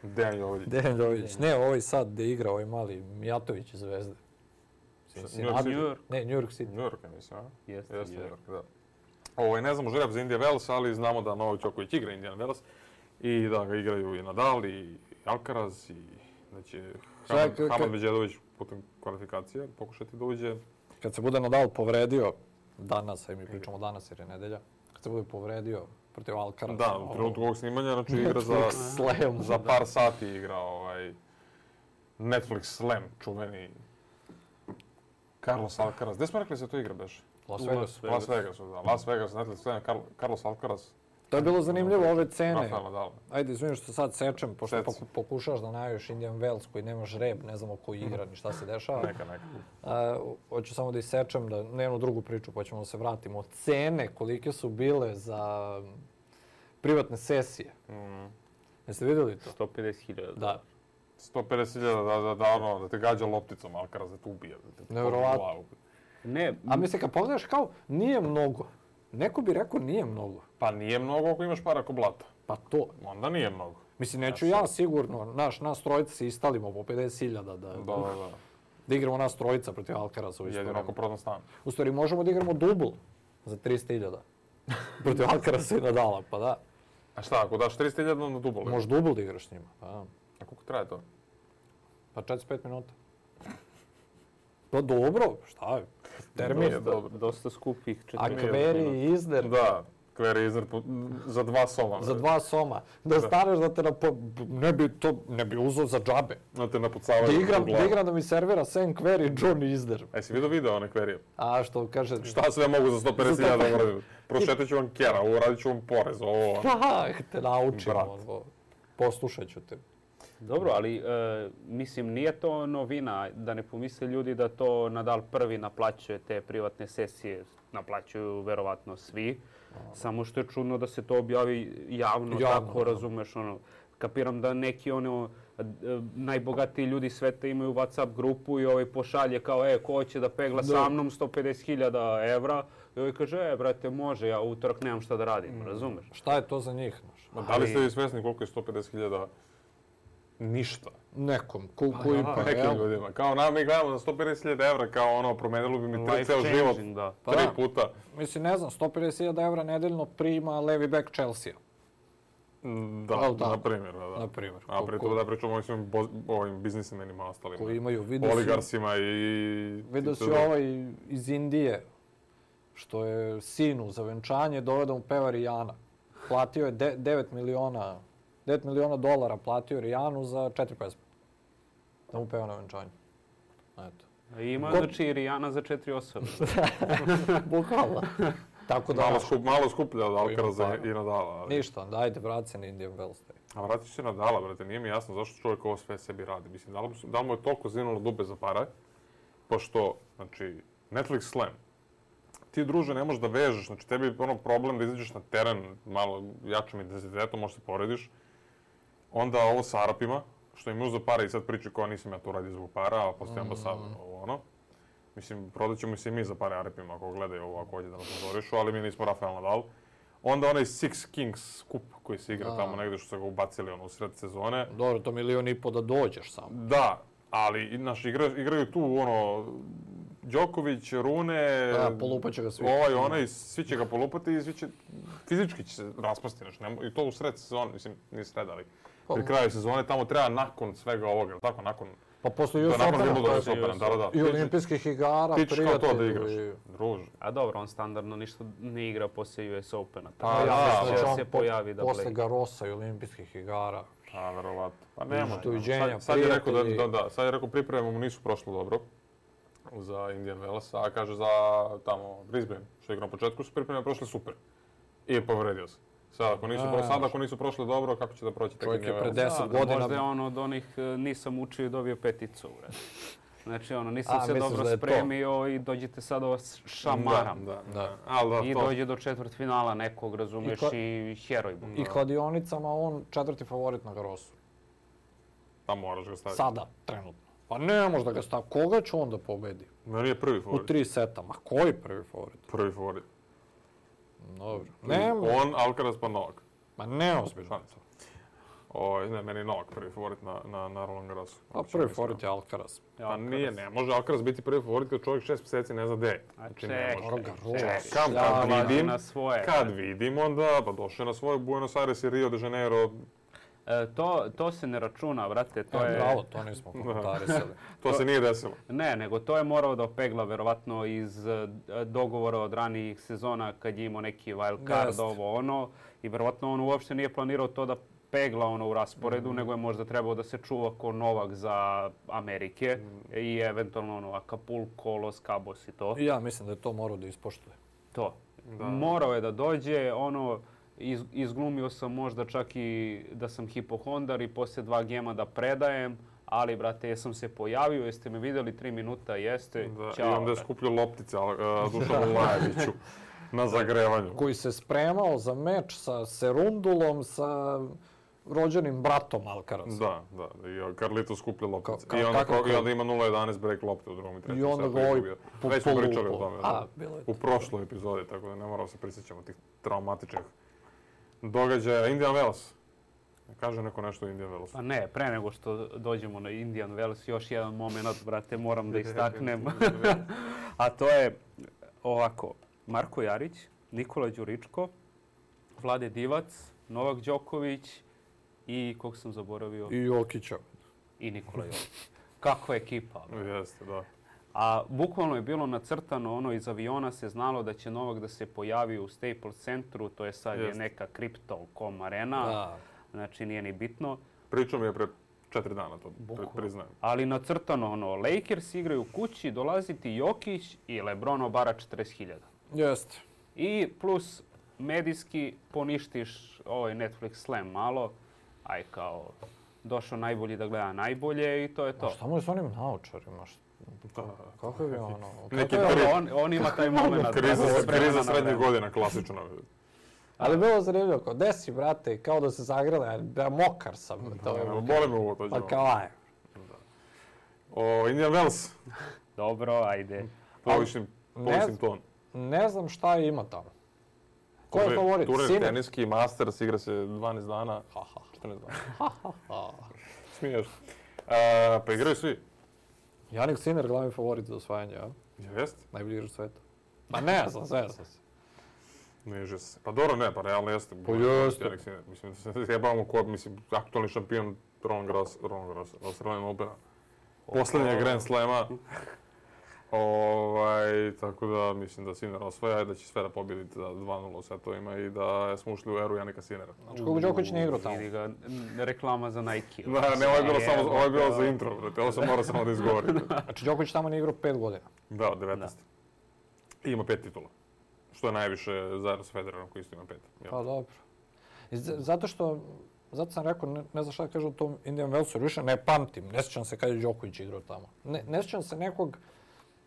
Dejan Jović. Ne, ovaj sad gdje igra ovaj mali Mijatović iz Zvezde. Ne, New York City. New York je, mislim, a? Jeste, New York, da. Ne znamo žreb za Indian Wells, ali znamo da Novak Đoković igra Indian Wells. I da ga igraju i Nadal, i Alcaraz, i da će Hamad Medžedović putem kvalifikacije pokušati da uđe. Kad se bude Nadal povredio, danas, mi pričamo danas jer je nedelja, kad se bude povredio protiv Alcaraza... Da, u trenutku ovog snimanja, znači igra za par sati igra Netflix Slam, čuveni Carlos Alcaraz. Gdje smo rekli se to igra, beš? Las Vegas. Las Vegas, da. Las Vegas, Netflix Slam, Carlos Alcaraz. To je bilo zanimljivo, ove cene. Ajde, izvinim što sad sečem, pošto pokušaš da najaviš Indian Wells koji nema žreb, ne znamo ko igra ni šta se dešava. Neka. Hoću samo da isečem, da ne jednu drugu priču, pa ćemo da se vratimo. Cene kolike su bile za privatne sesije. Jeste vidjeli to? 150.000. Da. 150.000 da te gađa lopticom, Alcaraz da te ubije. Nevjerovatno. A mislim, kad pogledaš kao, nije mnogo. Neko bi rekao nije mnogo. Pa nije mnogo ako imaš para ko blata. Pa to. Onda nije mnogo. Mislim, neću ja sigurno, nas trojica se istalimo po 50.000 da igramo nas trojica protiv Alcarasa. Jedino ako prodam stan. U stvari, možemo da igramo dubl za 300.000 protiv Alcarasa i Nadala, pa da. A šta, ako daš 300.000 na dubl? Možeš dubl da igraš s njima. A koliko traje to? Pa 45 minuta. Pa dobro, šta je? Termin. Dosta skupih. A Kveri i Izner. Da, Kveri i Izner za 2 soma. Za 2 soma. Da staneš da te ne bi uzeo za džabe. Da te napucavaju. Da igram da mi servira Sam Kveri i John Izner. Si vidio video one Kverije? A što kaže... Šta sve mogu za 150.000 uradim? Prošetat ću vam kjera, uradit ću vam porez, ovo... Pa, te naučim, poslušat ću te. Dobro, ali mislim nije to novina, da ne pomisle ljudi da to Nadal prvi naplaćuje te privatne sesije, naplaćuju verovatno svi, samo što je čudno da se to objavi javno tako, razumeš, kapiram da neki najbogatiji ljudi sveta imaju WhatsApp grupu i pošalje kao, ko hoće da pegla sa mnom 150.000 evra i ovaj kaže, brate, može, ja utorak nemam šta da radim, razumeš? Šta je to za njih? Da li ste vi svjesni koliko je 150.000 ništa? Nekom, nekim ljudima. Kao mi gledamo za 150.000 evra, kao promenilo bi mi ceo život 3 puta. Mislim, ne znam, 150.000 evra nedeljno prima levi back Chelsea. Da, na primjer. A pritom da pričamo o ovim biznismenima ostalima. Koji imaju, oligarsima i... Vidio si iz Indije, što je sinu za venčanje dovede mu peva Rijana. Platio je 9 miliona dolara platio Rijanu za 4 pesme. Da mu peva na venčanju. Eto. Ima znači Rijana za 4 osobe. Bukvalno. Malo skuplja od Alcaraza i Nadala. Ništa, dajte, vrati se na Indian Wells. A vrati se Nadala, brate, nije mi jasno zašto čovjek ovo sve sebi radi. Mislim, da li mu je toliko zinulo dube za pare, pošto, znači, Netflix Slam, ti, druže, ne možeš da vežeš, znači, tebi je problem da izađeš na teren malo jačim intenzitetom, možeš se porediš. Onda ovo sa Arapima, što im za pare i sad priči koja nisam ja to radio zbog para, a postoji ambasador, Mislim, prodat ćemo se i mi za pare Arapima ako gledaju ovo, ako hoće da nas nazorišu, ali mi nismo Rafael Nadal. Onda onaj Six Kings kup koji se igra tamo negdje što su ga ubacili u sred sezone. Dobro, to 1,5 miliona da dođeš samo. Da, ali igraju tu Đoković, Rune, polupat će ga svi. Svi će ga polupati i fizički će se raspasti. I to u sred sezone, mislim, nije sred, ali pri kraju sezone tamo treba nakon svega ovoga, ili tako, nakon... Pa posle US Opena i olimpijskih igara, prijatelji. Kao to da igraš, druže. A dobro, on standardno ništa ne igra posle US Opena. Pa ja se pojavi da posle Garosa i olimpijskih igara. A, verovatno. Pa nema. Sad je rekao pripreme mu nisu prošlo dobro za Indian Wells, a kaže za tamo Brisbane, što je igra na početku, su pripreme prošle super. I povredio se. Sad ako nisu prošle dobro, kako će da proći tek Indian Wells? Čovjek je pre 10 godina... Možda je od onih nisam učio i dobio 5. Znači, nisam se dobro spremio i dođete sad šamaram. I dođe do četvrtfinala nekog, razumeš, i heroj. I kladionicama on 4. favorit na Garosu. Tamo moraš ga staviti. Sada, trenutno. Pa ne može da ga stavi. Koga će on da pobedi? Meni je prvi favorit. U 3 seta. Ma koji prvi favorit? Prvi favorit. Dobro. On, Alcaraz pa Novak. Ma ne ozbiljno. Ne, meni je Novak prvi favorit na Roland Garrosu. A prvi favorit je Alcaraz. Pa nije, ne može Alcaraz biti prvi favorit kad čovjek 6 mjeseci ne zna gde je. Kad vidim onda, pa došao je na svoj Buenos Aires i Rio de Janeiro. To se ne računa, brate. Bravo, to nismo komentarisali. To se nije desilo. Ne, nego to je morao da opegla verovatno iz dogovora od ranijih sezona kad je imao neki wild card, i verovatno on uopšte nije planirao to da pegla u rasporedu, nego je možda trebao da se čuva ko Novak za Amerike i eventualno Acapulco, Los Cabos i to. Ja mislim da je to morao da ispoštuje. To. Morao je da dođe, izglumio sam možda čak i da sam hipohondar i poslije 2 gema da predajem, ali, brate, jesam se pojavio, jeste me vidjeli 3 minuta, jeste, čao. I onda je skupljio loptice Dušanu Lajeviću na zagrevanju. Koji se spremao za meč sa Serundulom, sa rođenim bratom Alcaraz. Da. I Carlito skuplja loptice. I onda ima 0-11 break lopte u drugom i trećem. I onda ga ovaj već smo pričali o tome. U prošloj epizodi, tako da ne moramo se prisjećamo tih traumatičnih događaja. Indian Wells. Kaže neko nešto o Indian Wells. Pa ne, pre nego što dođemo na Indian Wells, još jedan moment, brate, moram da istaknem. A to je ovako, Marko Jarić, Nikola Đuričko, Vlade Divac, Novak Đoković i kog sam zaboravio? I Jokića. I Nikola Jokić. Kakva ekipa. Jeste, da. A bukvalno je bilo nacrtano, iz aviona se znalo da će Novak da se pojavi u Staples centru, to je sad je neka Crypto.com arena, znači nije ni bitno. Pričao mi je pre 4 dana, to priznajem. Ali nacrtano, Lakers igraju kući, dolaziti Jokić i LeBron obara 40.000. Jeste. I plus medijski poništiš ovaj Netflix slam malo, aj kao došao najbolji da gleda najbolje i to je to. A šta mu je s onim naočarima? Kako je ono? On ima taj moment. Kriza srednjih godina, klasično. Ali bilo zanimljivo, kao desi, brate, kao da se zagrele, da mokar sam. Boli me ovo, to ćemo. Pa kao aj. Indian Wells. Dobro, ajde. Povišim ton. Ne znam šta ima tamo. Ko je favorit? Turnir teniski, Masters, igra se 12 dana. 14 dana. Smiješ. Pa igraju svi. Jannik Sinner, glavni favorit za osvajanje, ja? Jeste? Najbolji igrač sveta. Pa ne znam, sve sam se. Neže se. Pa dobro, ne, pa realno jeste. Pa jeste. Mislim, da se jebavamo ko, aktualni šampion Roland Garros, Australian Opena. Poslednjeg Grand Slama. Tako da mislim da Sinner osvaja i da će sve da pobjedi za 2-0 u setovima i da smo ušli u eru Jannika Sinnera. Znači koliko Đoković ne igrao tamo? Vidi ga reklama za Nike. Ne, ovo je bilo za intro, brate. Ovo sam morao samo da izgovorim. Znači Đoković tamo ne igrao 5 godina? Da, 19. I ima 5 titula. Što je najviše zajedno sa Federerom koji isto ima 5. Pa dobro. Zato sam rekao, ne znam šta da kažem o tom Indian Wellsu, više ne pamtim, ne sjećam se kad je Đoković igrao tamo. Ne sjećam se nekog,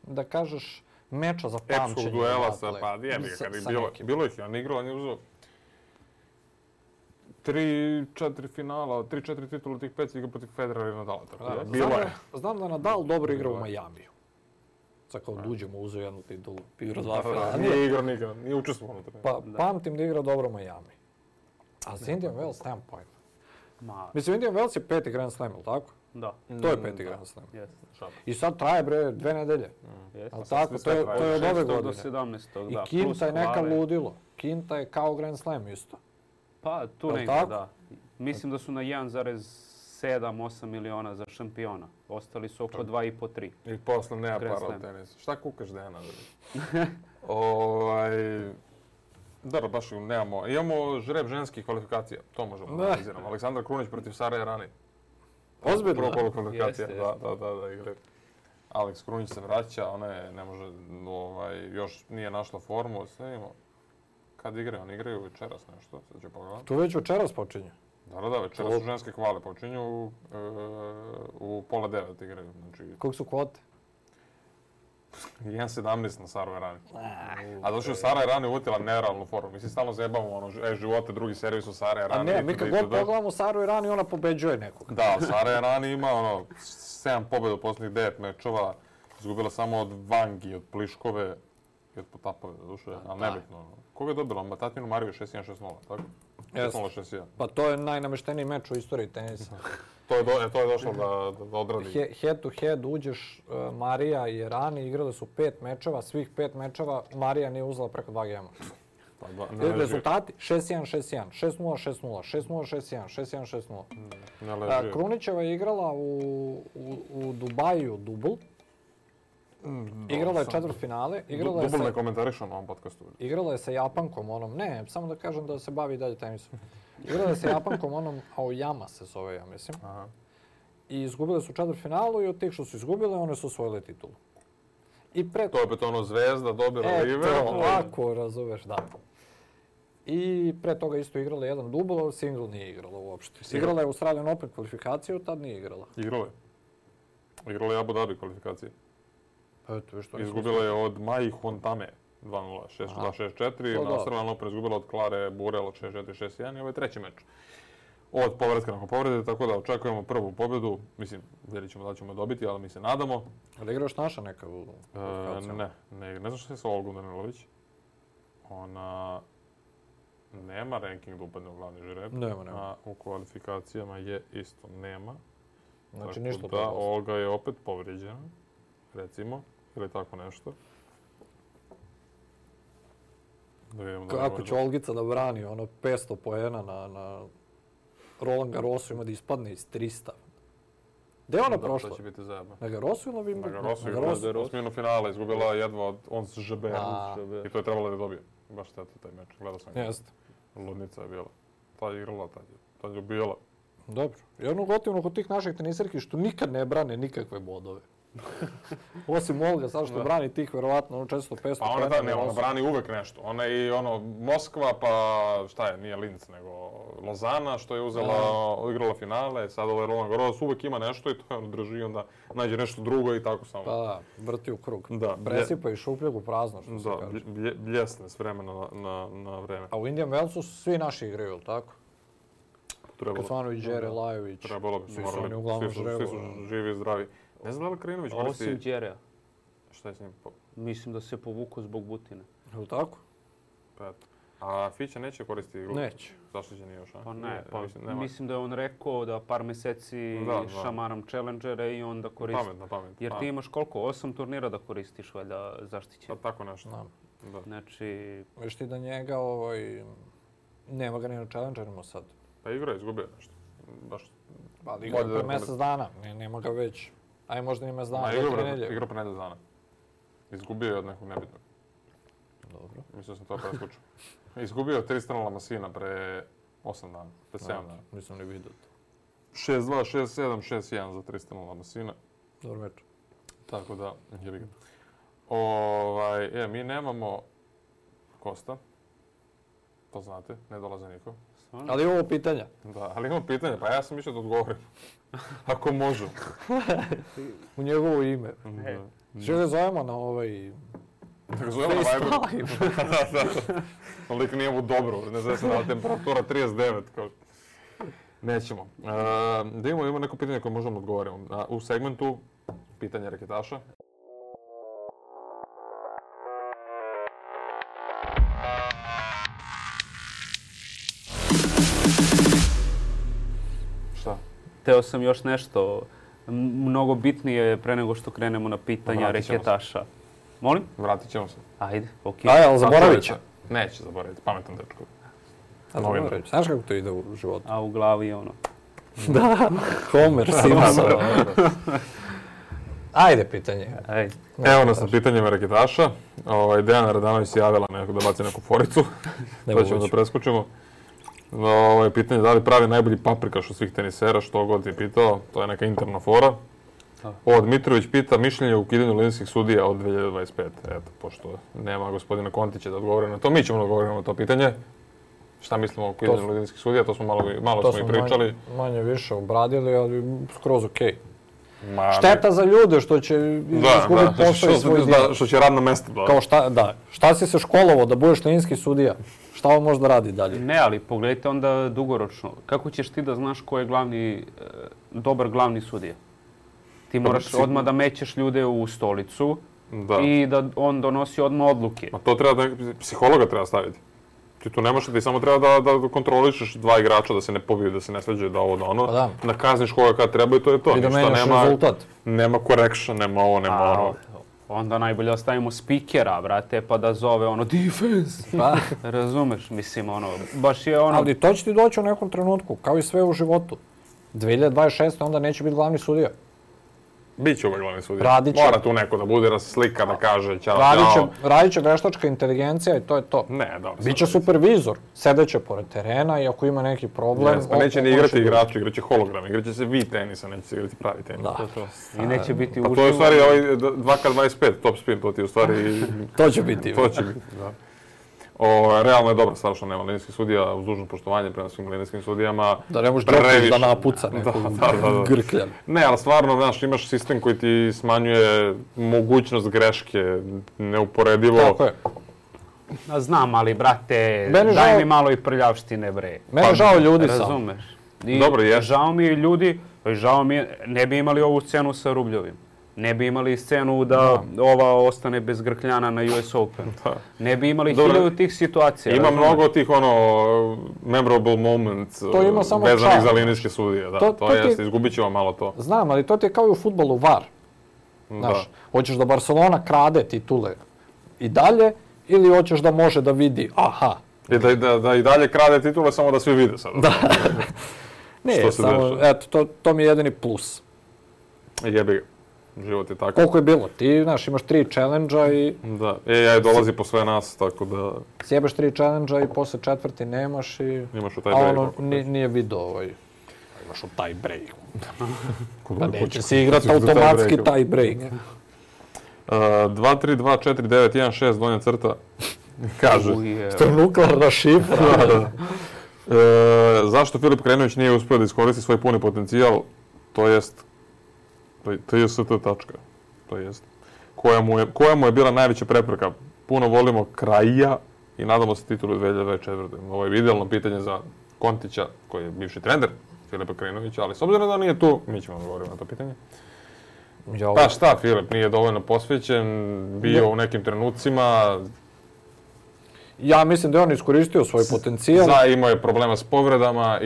da kažeš, meča za pamćenje. Epskog duela sa, pa jebi ga, kad je bilo ih, on igrao, on je uzeo 3-4 finala, 3-4 titula tih 5 igra protiv Federera i Nadala. Znam da Nadal dobro igra u Majamiju. Sad kao uđemo, uzeo jednu titulu, igra 2 finala. Nije igrao nikada, nije učestvovao na tome. Pa pamtim da igra dobro u Majamiji. A za Indian Wells nemam pojma. Mislim, Indian Wells je 5. Grand Slam, ili tako? Da. To je 5. Grand Slam. I sad traje, 2 nedelje. Ali tako, to je od ove godine. 6. do 17. I Kinta je neka ludilo. Kinta je kao Grand Slam isto. Pa, tu negdje, da. Mislim da su na 1,7-8 miliona za šampiona. Ostali su oko 2,5-3. I posle nema para od tenisa. Šta kukaš Dejana? Da, baš nemamo. Imamo žreb ženskih kvalifikacija. To možemo da analiziramo. Aleksandar Krunić protiv Sare Errani. Ozbiljno? Prvo kolo kvalifikacija. Da, igra. Aleks Krunić se vraća, ona je, ne može, još nije našla formu. Snimimo. Kad igraju? Oni igraju večeras nešto. Sad ću pogledati. Tu već večeras počinje? Da, večeras su ženske kvale. Počinju u 8:30 igraju. Koliko su kvote? 1,17 na Saru Errani. A došli u Sara Errani uvutila nerealnu formu. Mi se stalno zajebamo, živote, drugi servis u Sara Errani. A ne, mi kad god pogledamo Saru Errani, ona pobeđuje nekog. Da, Sara Errani ima 7 pobjeda u posljednjih 9 mečova. Izgubila samo od Vangi, od Pliškove i od Potapove, doduše, ali nebitno. Koga je dobila? Matatinu Mariju 6-1, 6-0, tako? 6-0, 6-1. Pa to je najnamešteniji meč u istoriji tenisa. To je došlo da odradi. Head to head uđeš Marija i Errani, igrali su 5 mečeva, svih 5 mečeva Marija nije uzela preko 2 gema. Rezultati 6-1, 6-1, 6-0, 6-0, 6-0, 6-1, 6-1, 6-0. Krunićeva je igrala u Dubaju dubl. Igrala je četvrtfinale. Dubl ne komentarišao na ovom podcastu. Igrala je sa Japankom onom, ne, samo da kažem da se bavi dalje tenisom. Igrala je sa Japankom onom, Aoyama se zove, ja mislim. I izgubile su četvrtfinalu i od tih što su izgubile, one su osvojile titulu. To je opet ono Zvezda, dobila River. Ovako, razumeš, da. I pre toga isto igrala jedan dubl, ali single nije igrala uopšte. Igrala je Australian Open kvalifikaciju, tad nije igrala. Igrala je Abu Dhabi kvalifikacije. Izgubila je od Mai Hontame 2-0, 6-2, 6-4. Na Australian Open izgubila od Klare Burel 6-4, 6-1 i ovo je treći meč od povratka nakon povrede, tako da očekujemo prvu pobjedu. Mislim, vidjet ćemo da ćemo dobiti, ali mi se nadamo. Ali igraš naša neka u Ne znam što je sa Olgom Danilović. Ona nema ranking da upadne u glavni žreb. Nema. A u kvalifikacijama je isto nema. Znači tako ništa da, Olga je opet povrijeđena, recimo, ili tako nešto. Kako će Olgica da brani 500 poena na Roland Garrosu ima da ispadne iz 300. Gde je ona prošla? To će biti zajebno. Na Garrosu ili Wimbledonu? Na Garrosu, osminu finala, izgubila jedva od Ons Jabeur. I to je trebalo da dobije. Baš šteta taj meč, gledao sam ga. Jeste. Ludnica je bila. Ta je igrala, ta je ubijala. Dobro. I ono gotivno kod tih naših tenisarki što nikad ne brane nikakve bodove. Osim Olga, sad što brani tih verovatno 400-500 pa ona brani uvek nešto. Ona i Moskva, pa šta je, nije Linz, nego Lozana što je igrala finale, sad ovaj Roland Garros uvek ima nešto i to drži, onda nađe nešto drugo i tako samo. Pa vrti u krug. Presipa i šupljeg u prazno, što se kaže. Da, bljesne s vremena na vreme. A u Indian Wellsu svi naši igraju, ili tako? Kecmanović, Đere, Lajović. Trebalo bi, svi su oni uglavnom žrevu. Svi su živi i zdravi. Ne znam da li Krinović koristi... Osim Đereja. Šta je s njim? Mislim da se povukao zbog Butine. Je li tako? Pa, a Fića neće koristiti igru? Neće. Zaštićen još, a? Pa ne, mislim da je on rekao da par meseci šamaram challengere i onda koristi. Pametno. Jer ti imaš koliko? 8 turnira da koristiš valjda zaštićen. Pa tako nešto. Da. Znači... Viš ti da njega nema ga ni na challengerima sad. Pa igra je izgubio nešto. Baš... Pa igra pre mjesec dana, nema ga već. Aj možda ima dana, igra pre nedelju dana. Izgubio je od nekog nebitnog. Dobro. Mislio sam to preskučio. Izgubio je Tristana Lamasina pre 8 dana, pre 7 dana. Nisam ni vidio to. 6-2, 6-7, 6-1 za Tristana Lamasina. Dobro meč. Tako da, je vidim. Mi nemamo Kosta. To znate, ne dolaze niko. Ali imamo pitanja. Da, ali imamo pitanja, pa ja sam mislio da odgovorim. Ako možu. U njegovo ime. Što ga zovemo na Tako zovemo na Viberu. Da. Lik nije mu dobro, ne znam se da temperatura 39. Nećemo. Da imamo neko pitanje koje možemo odgovoriti. U segmentu pitanja reketaša. Šta? Teo sam još nešto mnogo bitnije pre nego što krenemo na pitanja reketaša. Molim? Vratit ćemo se. Ajde, okej. Ali zaboravit će. Neće zaboraviti, pametan dečko. Znaš kako to ide u životu? A u glavi Da, Homer Simpson. Ajde pitanje. Ajde. Evo nas na pitanjima reketaša. Dejana Radanović se javila da baci neku foricu. To ćemo da preskočimo. Pitanje da li pravi najbolji paprikaš od svih tenisera, što god je pitao. To je neka interna fora. Dmitrović pita mišljenje o ukidanju linijskih sudija od 2025. Eto, pošto nema gospodina Kontića da odgovore na to, mi ćemo da odgovoriti na to pitanje. Šta mislimo o ukidanju linijskih sudija, to smo malo i pričali. Manje više obradili, ali skroz okej. Šteta za ljude što će izgubiti posao i svoj dio. Što će radno mesto. Kao šta si se školovao da budeš linijski sudija? Šta on može da radi dalje? Ne, ali pogledajte onda dugoročno. Kako ćeš ti da znaš ko je dobar glavni sudija? Ti moraš odmah da mećeš ljude u stolicu i da on donosi odmah odluke. Ma to treba psihologa treba staviti. Ti tu nemaš da ti samo treba da kontrolišeš dva igrača, da se ne pobiju, da se ne svađaju, da ovo, da ono. Nakazniš koga kad treba i to je to. I da menjaš rezultat. Nema correction, nema ovo, nema ono. Onda najbolje ostavimo spikera, brate, pa da zove defense. Razumeš, mislim, baš je Ali to će ti doći u nekom trenutku, kao i sve u životu. 2026. onda neće biti glavni sudija. Biće ovaj glavni sudija. Mora tu neko da bude, da se slika, da kaže ćao. Radit će veštačka inteligencija i to je to. Ne, dobro. Biće supervizor, sedeće pored terena i ako ima neki problem... Pa neće ni igrati igrači, igraće hologram, igraće se vi tenisa, neće se igrati pravi tenis. I neće biti uživo. Pa to je u stvari 2K25, top spin, to ti u stvari... To će biti. To će biti, da. Realno je dobro stvar što nema linijskih sudija, uz dužno poštovanje prema svim linijskim sudijama. Da ne možeš Đoković da napuca nekog grkljan. Ne, ali stvarno, znaš, imaš sistem koji ti smanjuje mogućnost greške, neuporedivo. Tako je. Znam, ali brate, daj mi malo i prljavštine, bre. Mene žao ljudi sam. Razumeš? I dobro, žao mi je ljudi, ne bi imali ovu scenu sa Rubljovim. Ne bi imali scenu da ova ostane bez grkljana na US Open. Ne bi imali hiljadu tih situacija. Ima mnogo tih memorable moments vezanih za linijske sudije. To jeste, izgubit ćemo malo to. Znam, ali to ti je kao i u fudbalu VAR. Znaš, hoćeš da Barcelona krade titule i dalje ili hoćeš da može da vidi, aha. I da i dalje krade titule, samo da svi vide sad. Da. Ne, samo, eto, to mi je jedini plus. Jebi ga. Život je tako. Koliko je bilo? Ti, znaš, imaš 3 challenge-a i... Da, AI dolazi po sve nas, tako da... Sjebeš 3 challenge-a i posle 4. nemaš i... Imaš u taj break. A nije video Imaš u taj break. Da neće si igrati automatski taj break. 2-3-2-4-9-1-6, donja crta. Kaže. Što je nuklearna šifra. Zašto Filip Krajinović nije uspio da iskoristi svoj puni potencijal, to jest tačka. To jest. Koja mu je bila najveća prepreka? Puno volimo Krajija i nadamo se titulu 2024. Ovo je idealno pitanje za Kontića, koji je bivši trener Filipa Krajinovića, ali s obzirom da nije tu, mi ćemo odgovoriti na to pitanje. Pa šta, Filip nije dovoljno posvećen, bio u nekim trenucima. Ja mislim da je on iskoristio svoj potencijal. Imao je problema s povredama,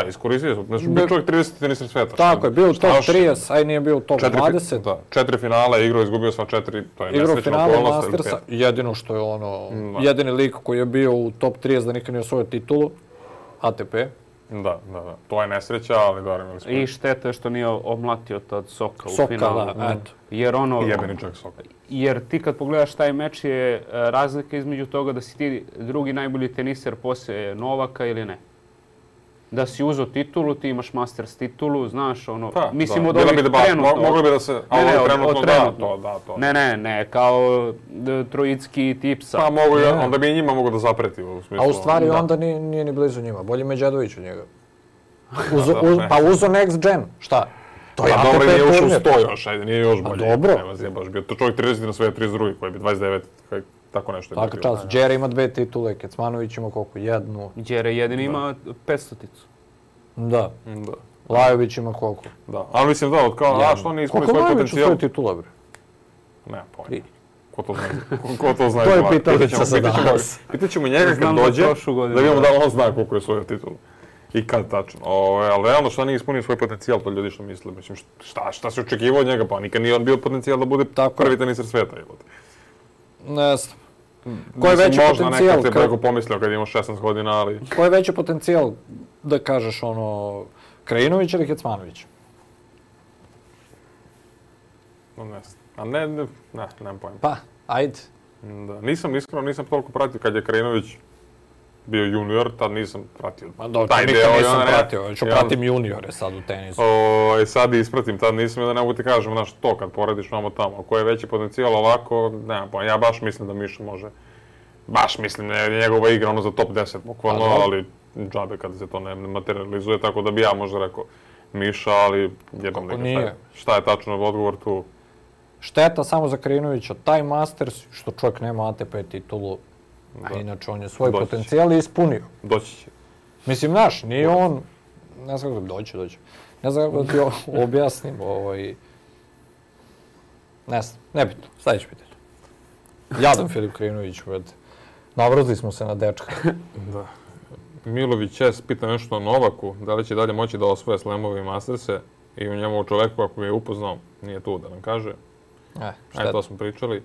iskoristio je. Znači, bio čovjek 30. tenisar sveta. Tako je, bio u top 30, a i nije bio u top 20. Da, 4 finala, igrao, izgubio sva 4, to je nesrećna okolnost. Igrao finala Mastersa, jedino što je jedini lik koji je bio u top 30 da nikad nije osvojio titulu, ATP. Da. To je nesreća, ali dobro imali smo. I šteta je što nije omlatio tad Soka u finalu. Soka, da, eto. Jebeni čovjek Soka. Jer ti kad pogledaš taj meč je razlika između toga da si ti drugi najbolji teniser poslije Novaka ili ne. Da si uzeo titulu, ti imaš Masters titulu, znaš, mislim od ovih trenutno. Mogli bi da se, trenutno. Ne, kao Trojicki Tipsa. Pa onda bi i njima mogu da zapreti u smislu. A u stvari onda nije ni blizu njima, bolje Međedović od njega. Pa uzo Next Gen, šta? To je dobro, nije ušao u 100 još, ajde, nije još bolje. Dobro. Baš bio to čovjek 30 na sve 32, koji bi 29, tako nešto. Tako čas, Đere ima 2 titule, Kecmanović ima koliko, 1. Đere jedini ima 500-ticu. Da. Lajović ima koliko? Da, ali mislim da, što nije ispunio svoj potencijal. Koliko Lajović u svoj titula, bre? Nema pojma. Ko to zna? To je pitalica za danas. Pitaćemo njega kad dođe, da vidimo da on zna koliko je svoj titula. I kad tačno. Ali realno šta nije ispunio svoj potencijal, to ljudi što misle. Mislim, šta se očekivao od njega, pa nikad nije on bio potencijal da bude prvi teniser sveta. Ne znam. Ko je veći potencijal? Možda nekad te preko pomislio kad imao 16 godina, ali... Ko je veći potencijal da kažeš Krajinović ili Kecmanović? Ne znam. Nemam pojma. Pa, ajde. Nisam toliko pratio kad je Krajinović bio junior, tad nisam pratio. Ma dobro, nikad nisam pratio, ću pratim juniore sad u tenisu. Sad ispratim, tad nisam da ne mogu ti kažem, znaš, to kad porediš vamo tamo. Ko je veći potencijal ovako, nema pojma. Ja baš mislim da Miša može, njegova igra za top 10 bukvalno, ali džabe kada se to ne materializuje, tako da bi ja možda rekao Miša, ali jebam da šta je tačno odgovor tu. Šteta samo za Krajinovića, taj Masters, što čovjek nema ATP titulu, a inače on je svoj potencijal ispunio. Doći će. Mislim, znaš, nije on... Ne znam kako doći. Ne znam kako da ti objasnim Ne znam, nebitno. Sljedeće pitanje. Jadan Filip Krajinović, navrzli smo se na dečka. Da. Milović S. pita nešto o Novaku, da li će dalje moći da osvoje slamove i masterse i u njemu čoveku, ako je upoznao, nije tu da nam kaže. Ajde, to smo pričali.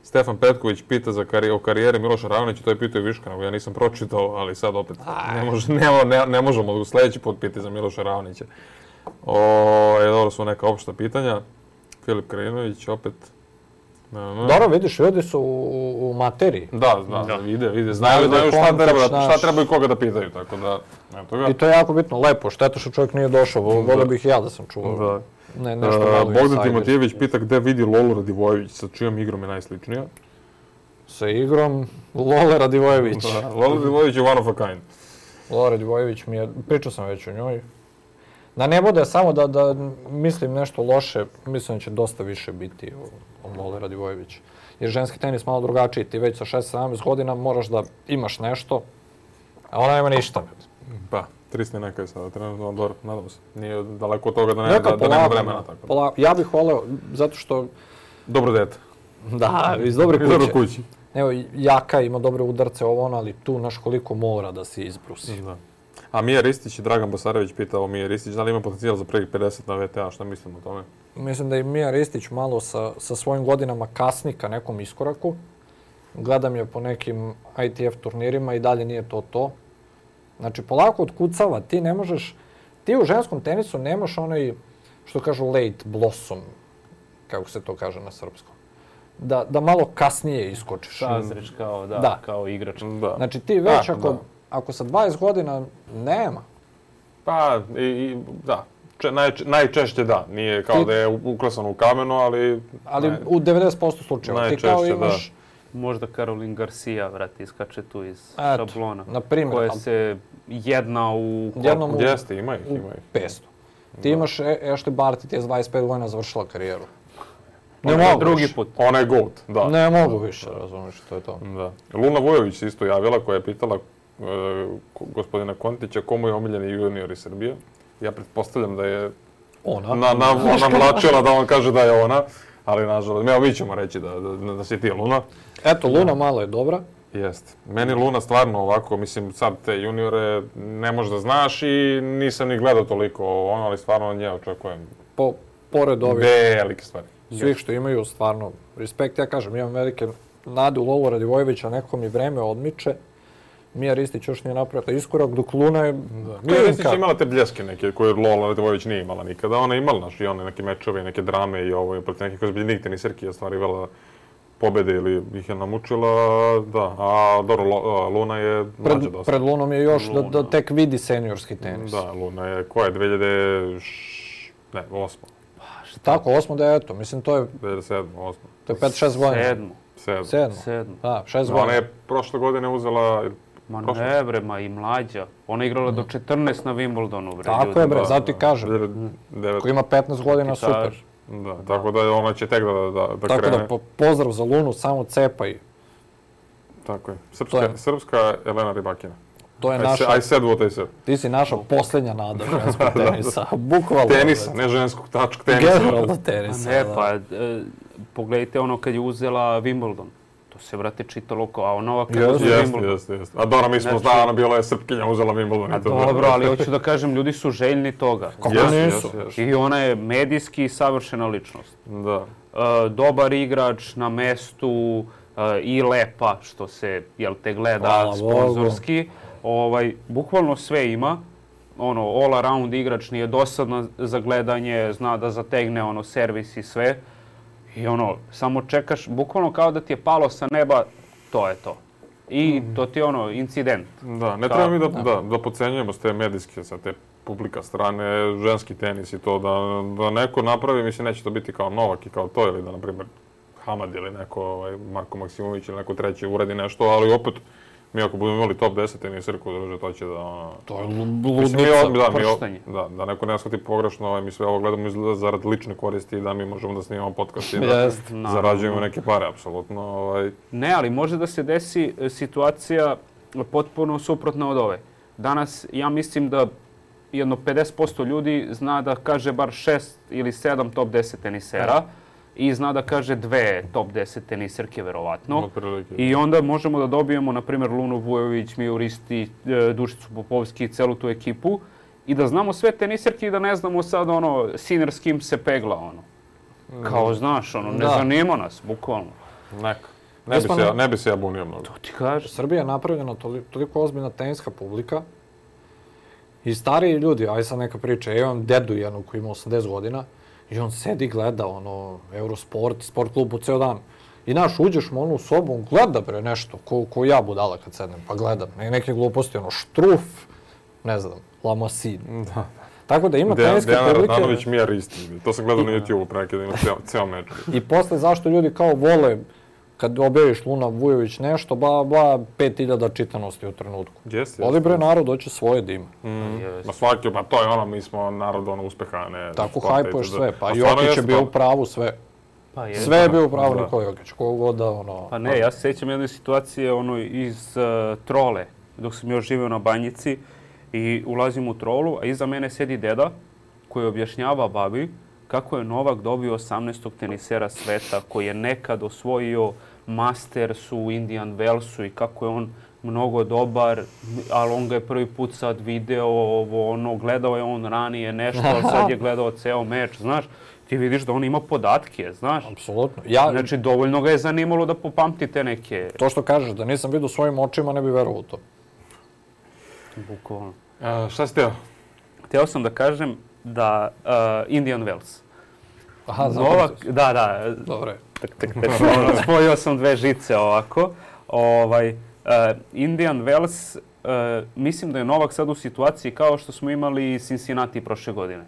Stefan Petković pita o karijeri Miloša Raonića, to je pitao i Viška, nego ja nisam pročitao, ali sad opet ne možemo sljedeći put pitati za Miloša Raonića. Dobro su neka opšta pitanja. Filip Krajinović opet... Dobro, vidiš, ljudi su u materiji. Da, vide. Znaju šta treba i koga da pitaju, tako da... I to je jako bitno, lepo, šteta što čovjek nije došao, volio bih ja da sam čuvao. Bogdan Timotijević pita gde vidi Lolu Radivojević, sa čijom igrom je najsličnija? Sa igrom Lole Radivojević. Lola Radivojević je one of a kind. Lola Radivojević mi je, pričao sam već o njoj. Da ne bude samo da mislim nešto loše, mislim da će dosta više biti o Lole Radivojević. Jer ženski tenis malo drugačiji, ti već sa 16-17 godina moraš da imaš nešto, a ona nema ništa. Pa, 300 neka je sada, trenutno dobro, nadam se. Nije daleko od toga da nema vremena. Tako. Ja bih voleo, zato što... Dobro dete. Da, iz dobre kuće. Iz dobre kuće. Evo, Jaka ima dobre udarce, ali tu naš koliko mora da se izbrusi. Da. A Mija Ristić i Dragan Basarević pitao Mija Ristić da li ima potencijal za prvih 50 na VTA, šta mislim o tome? Mislim da je Mija Ristić malo sa svojim godinama kasni ka nekom iskoraku. Gledam je po nekim ITF turnirima i dalje nije to. Znači, polako otkucava. Ti ne možeš... Ti u ženskom tenisu nemaš onaj, što kažu, late blossom, kako se to kaže na srpskom. Da malo kasnije iskočiš. Sazreš kao igrač. Da. Znači, ti već ako sa 20 godina nema. Pa, da. Najčešće da. Nije kao da je uklesan u kamenu, ali... Ali u 90% slučajeva. Ti kao imaš... Možda Caroline Garcia, iskače tu iz šablona. Na primjer. Koja se jedna u... Jeste, ima ih. 500. Ti imaš Ashley Barty, ti je 25 godina završila karijeru. Ne mogu drugi put. Ona je GOAT, da. Ne mogu više, razumiješ, to je to. Da. Luna Vujović se isto javila koja je pitala gospodina Kontića komu je omiljeni junior iz Srbije. Ja pretpostavljam da je ona mlačila da on kaže da je ona, ali nažalost, mi ćemo reći da si ti Luna. Eto, Luna malo je dobra. Jeste. Meni Luna stvarno ovako, mislim, sad te juniore ne možeš da znaš i nisam ni gledao toliko ali stvarno od nje očekujem. Pored ovih velike stvari. Svih što imaju, stvarno, respekt. Ja kažem, imam velike nade u Lolu Radivojevića, neko mi vreme odmiče. Mija Ristić još nije napravila iskorak, dok Luna je... Mija Ristić je imala te bljeske neke koje Lola Radivojević nije imala nikada. Ona je imala i one neke mečeve, neke drame i ovo, protiv nekih ozbiljnih teniserki je ostvarivala pobjede ili ih je namučila, da. A dobro, Luna je mlađa dosta. Pred Lunom je još da tek vidi seniorski tenis. Da, Luna je, koja je 2008. Tako, 8. da je eto, mislim to je... 2007, 8. To je 5-6 godina. 7. Da, 6 godina. Ona je prošle godine uzela... Ma ne bre, i mlađa. Ona je igrala do 14 na Wimbledonu, bre. Tako je bre, zato ti kažem. Ko ima 15 godina, super. Da, tako da ona će tek da krene. Tako da pozdrav za Lunu, samo cepaj. Tako je. Srpska Elena Rybakina. To je naša... I said what I said. Ti si naša posljednja nada ženskog tenisa. Bukvalno. Tenisa, ne ženskog, tenisa. Generalno tenisa. Ne, pa pogledajte ono kad je uzela Wimbledon. To se, brate, čitalo kao, a ona ovak kad uzela Wimbledon. Jeste. A dobro, mi smo znali, bila je Srpkinja, uzela Wimbledon. Dobro, ali hoću da kažem, ljudi su željni toga. Kako nisu? I ona je medijski savršena ličnost. Da. Dobar igrač na mestu i lepa, što se, gleda sponzorski. Bukvalno sve ima. All around igrač, nije dosadno za gledanje, zna da zategne servis i sve. I samo čekaš, bukvalno kao da ti je palo sa neba, to je to. I to ti je incident. Da, ne treba mi da podcenjujemo s te medijske, sa te publika strane, ženski tenis i to, da neko napravi, mislim, neće to biti kao Novak i kao to, ili da, na primjer, Hamad ili neko, Marko Maksimović ili neko treći uredi nešto, ali opet, mi ako budemo imali top 10 teniserku, to će da... To je ludnica, prštanje. Da neko ne shvati pogrešno, mi sve ovo gledamo zarad lične koristi i da mi možemo da snimamo podcast i da zarađujemo neke pare, apsolutno. Ne, ali može da se desi situacija potpuno suprotna od ove. Danas, ja mislim da jedno 50% ljudi zna da kaže bar 6 ili 7 top 10 tenisera. I zna da kaže 2 top 10 teniserke, verovatno. I onda možemo da dobijemo, na primjer, Lunu Vujović, Miju Ristić, Dušicu Popovski i celu tu ekipu. I da znamo sve teniserke i da ne znamo sad Sinner s kim se pegla, Kao, znaš, ne zanima nas, bukvalno. Ne bi se ja bunio mnogo. To ti kaže. Srbija je napravljena toliko ozbiljna teniska publika. I stariji ljudi, aj sad neka priča, ja imam dedu jednu koji ima 80 godina. I on sedi, gleda Eurosport, sport klub po ceo dan. I uđeš mu u sobu, on gleda bre nešto, ko ja budala kad sednem, pa gledam. Neke gluposti, Štruf, ne znam, Lamassin. Tako da ima teniske publike... Dejan Radanović Mija Ristić, to sam gledao na YouTube-u pre neki da ima ceo meč. I posle zašto ljudi kao vole, kad objaviš Luna Vujović nešto, 5000 čitanosti u trenutku. Voli bre narod, hoće svoje da ima. Ma svaki, pa to je mi smo narod uspeha, ne... Tako hajpuješ sve, pa Jokić je bio u pravu sve. Sve je bio u pravu Nikola Jokić, kogod da Pa ne, ja se sjećam jedne situacije iz Trole, dok sam još živeo na Banjici. I ulazim u trolu, a iza mene sedi deda koji objašnjava babi kako je Novak dobio 18. tenisera sveta koji je nekad osvojio Masters u Indian Wellsu i kako je on mnogo dobar, ali on ga je prvi put sad video, gledao je on ranije nešto, ali sad je gledao ceo meč, znaš. Ti vidiš da on ima podatke, znaš. Apsolutno. Znači, dovoljno ga je zanimalo da popamti te neke... To što kažeš, da nisam vidio svojim očima, ne bi verovao u to. Bukvalno. Šta si teo? Hteo sam da kažem da Indian Wells. Aha, zapamtio sam. Da. Dobro je. Spojio sam dve žice ovako. Indian Wells, mislim da je Novak sad u situaciji kao što smo imali Cincinnati prošle godine.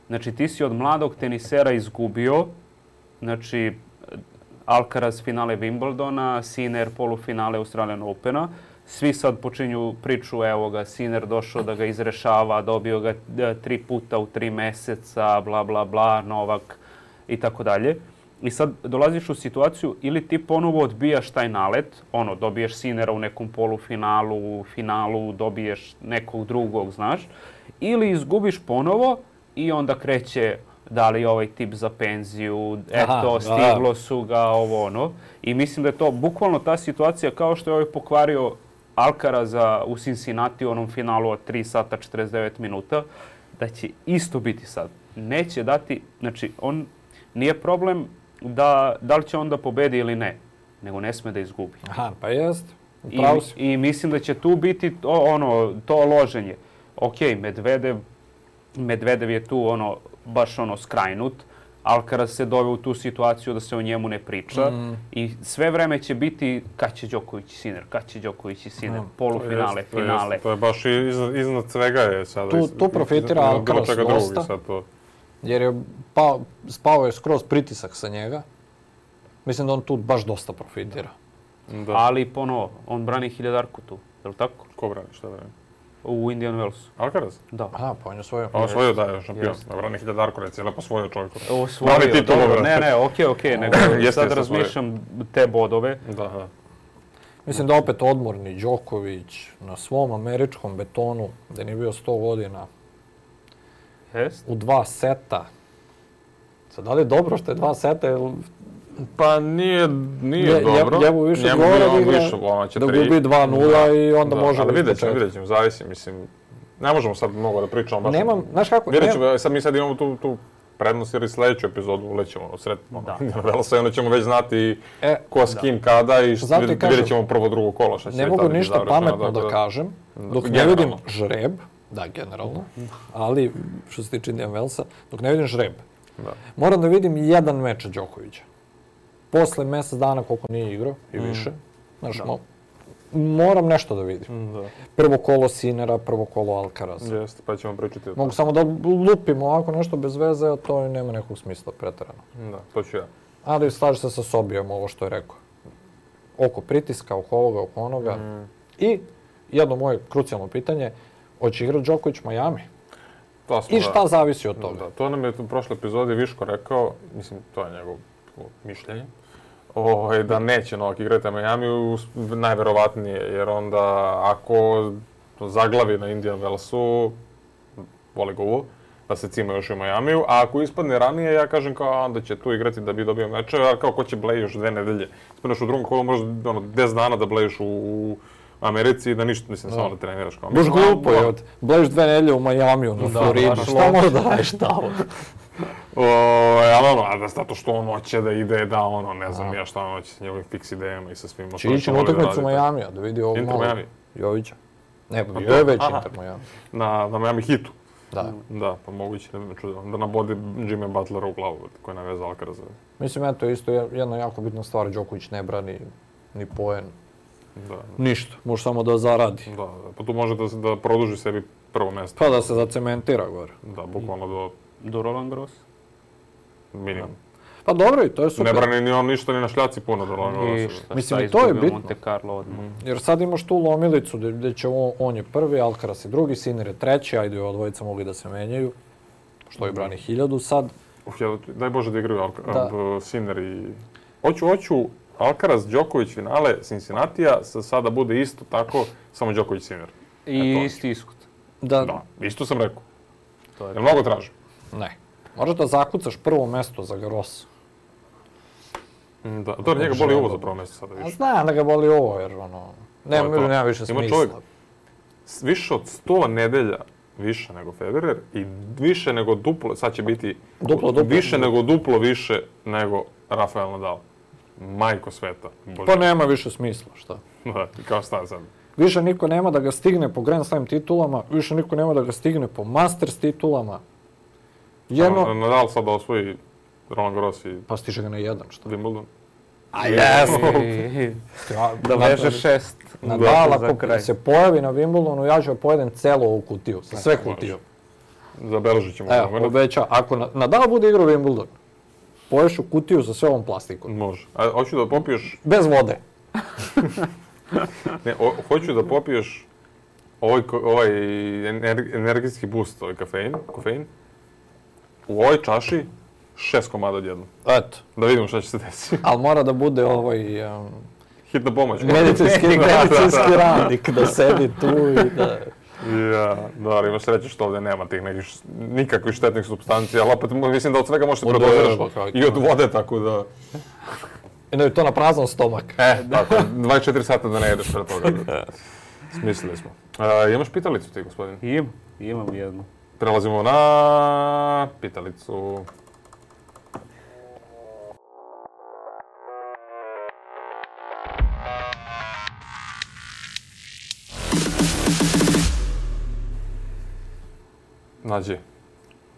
Znači, ti si od mladog tenisera izgubio, znači, Alcaraz finale Wimbledona, Sinner polufinale Australian Opena. Svi sad počinju priču, evo ga, Sinner došao da ga izrešava, dobio ga 3 puta u 3 meseca, bla, bla, bla, Novak i tako dalje. I sad dolaziš u situaciju ili ti ponovo odbijaš taj nalet, dobiješ Sinnera u nekom polufinalu, u finalu dobiješ nekog drugog, znaš, ili izgubiš ponovo i onda kreće da li ovaj tip za penziju, stiglo su ga, I mislim da je to bukvalno ta situacija kao što je ovaj pokvario Alcaraza u Cincinnati u onom finalu od 3 sata 49 minuta, da će isto biti sad. Neće dati, znači on nije problem da li će on da pobedi ili ne, nego ne sme da izgubi. Aha, pa jest. I mislim da će tu biti to loženje. Okej, Medvedev je tu baš skrajnut. Alcaraz se doveo u tu situaciju da se o njemu ne priča. I sve vreme će biti kad će Đoković i Sinner, polufinale, finale. To je baš iznad svega je sada. Tu profitira Alcaraz dosta. Jer je spao je skroz pritisak sa njega. Mislim da on tu baš dosta profitira. Da. Ali ponovo, on brani 1000-arku tu, je li tako? Ko brani, šta brani? U Indian Wellsu. Alcaraz? Da. Aha, pa on je osvojio. Osvojio, da, je šampion. Brani 1000-arku, reci, lepo osvojio čovjek. Osvojio, dobro. Ne, okej, nego sad razmišljam te bodove. Da. Mislim da opet odmorni Đoković na svom američkom betonu, da nije bio 100 godina, u 2 seta. Sad, da li je dobro što je 2 seta? Pa nije dobro. Njemu više odgovara da gubi 2-0 i onda može ali vidjet ćemo, zavisi, mislim. Ne možemo sad mnogo da pričamo baš. Nemam, znaš kako? Mi sad imamo tu prednost jer i sljedeću epizodu ulećemo sred Velsa i onda ćemo već znati ko s kim kada i vidjet ćemo prvo drugo kolo. Ne mogu ništa pametno da kažem dok ne vidim žreb. Da, generalno. Ali, što se tiče Indian Wellsa, dok ne vidim žreb. Moram da vidim jedan meč Đokovića. Posle mjesec dana koliko nije igrao i više. Znaš, moram nešto da vidim. Prvo kolo Sinnera, prvo kolo Alcaraza. Jeste, pa ćemo pričati o mogu samo da lupim ovako nešto bez veze, a to nema nekog smisla preterano. Da, to ću ja. Ali slažem se sa Sobijom ovo što je rekao. Oko pritiska, oko ovoga, oko onoga. I jedno moje krucijalno pitanje, hoće igrati Đoković Miami? I šta zavisi od toga? To nam je u prošloj epizodi Viško rekao, mislim, to je njegov mišljenje, da neće Novak igrati Miami, najverovatnije, jer onda ako zaglavi na Indian Wellsu, voli ga uvo, da se cima još u Miamiju, a ako ispadne ranije, ja kažem kao onda će tu igrati da bi dobio mečeve, a kao ko će bleji još 2 nedelje. Ispadneš u drugom kolu, možda 10 dana da blejiš u Americi i da ništa, mislim, samo da treniraš kao. Bož glupo je, blejiš 2 nedelje u Miamiju, na Floridi, šta može da radiš tamo? Zato što on hoće da ide, ne znam ja šta on hoće s njegovim fiks idejama i sa svima. Će ići na utakmicu Miamija, da vidi ovog malo Jovića. Ne, bio je već Inter Miami. Na Miami hitu. Da, pa moguće, ne bi me čudilo. Da nabodi Jimmy Butlera u glavu koji je navezao Alcaraza. Mislim, eto, isto jedna jako bitna stvar, Đoković ne brani ni poen. Ništa, može samo da zaradi. Da, pa tu može da produži sebi prvo mjesto. Pa da se zacementira gore. Da, bukvalno do Roland Garros. Minimum. Pa dobro i to je super. Ne brani ni on ništa ni na šljaci puno do Roland Garrosa. Mislim, i to je bitno. Monte Carlo odmah. Jer sad imaš tu lomilicu gdje će on je prvi, Alcaraz je drugi, Sinner je treći, ajde ova dvojica mogli da se menjaju. Što je brani 1000 sad. Daj Bože da igraju Sinner i... Hoću Alcaraz, Đoković finale Cincinnatija sada bude isto tako, samo Đoković Sinner. I isti ishod. Da, isto sam rekao. Jel mnogo traži? Ne. Možeš da zakucaš prvo mesto za Garrosa. Da, to njega boli ovo za prvo mesto sada više. Znam da ga boli ovo jer nema više smisla. Ima čovjek više od 100 nedelja više nego Federer i više nego duplo, sad će biti više nego duplo više nego Rafael Nadal. Majko sveta. Pa nema više smisla, šta? Da, kao šta sad? Više niko nema da ga stigne po Grand Slam titulama, više niko nema da ga stigne po Masters titulama. Nadal sad da osvoji Roland Garros i... Pa stiže ga na jedan, šta? Wimbledon. A jesmo! Da veže 6. Nadal, ako se pojavi na Wimbledonu, ja ću pojedem celo ovu kutiju, sa sve kutiju. Zabeležit ćemo. Evo, obeća, ako Nadal bude igrao Wimbledon, poješ u kutiju sa sve ovom plastikom. Može. A hoću da popiješ... Bez vode. Ne, hoću da popiješ ovaj energijski boost, ovaj kofein. U ovoj čaši 6 komada odjednom. Eto. Da vidimo šta će se desiti. Ali mora da bude hitna pomoć. Medicinski radnik da sedi tu i da... Ja, da, imaš sreće što ovdje nema tih nikakvih štetnih supstancija, ali opet mislim da od svega možeš se predoziraš i od vode, tako da... I da je to na prazan stomak. Tako, 24 sata da ne jedeš pre toga. Smislili smo. Imaš pitalicu ti, gospodin? Imam jednu. Prelazimo na pitalicu. Nađi.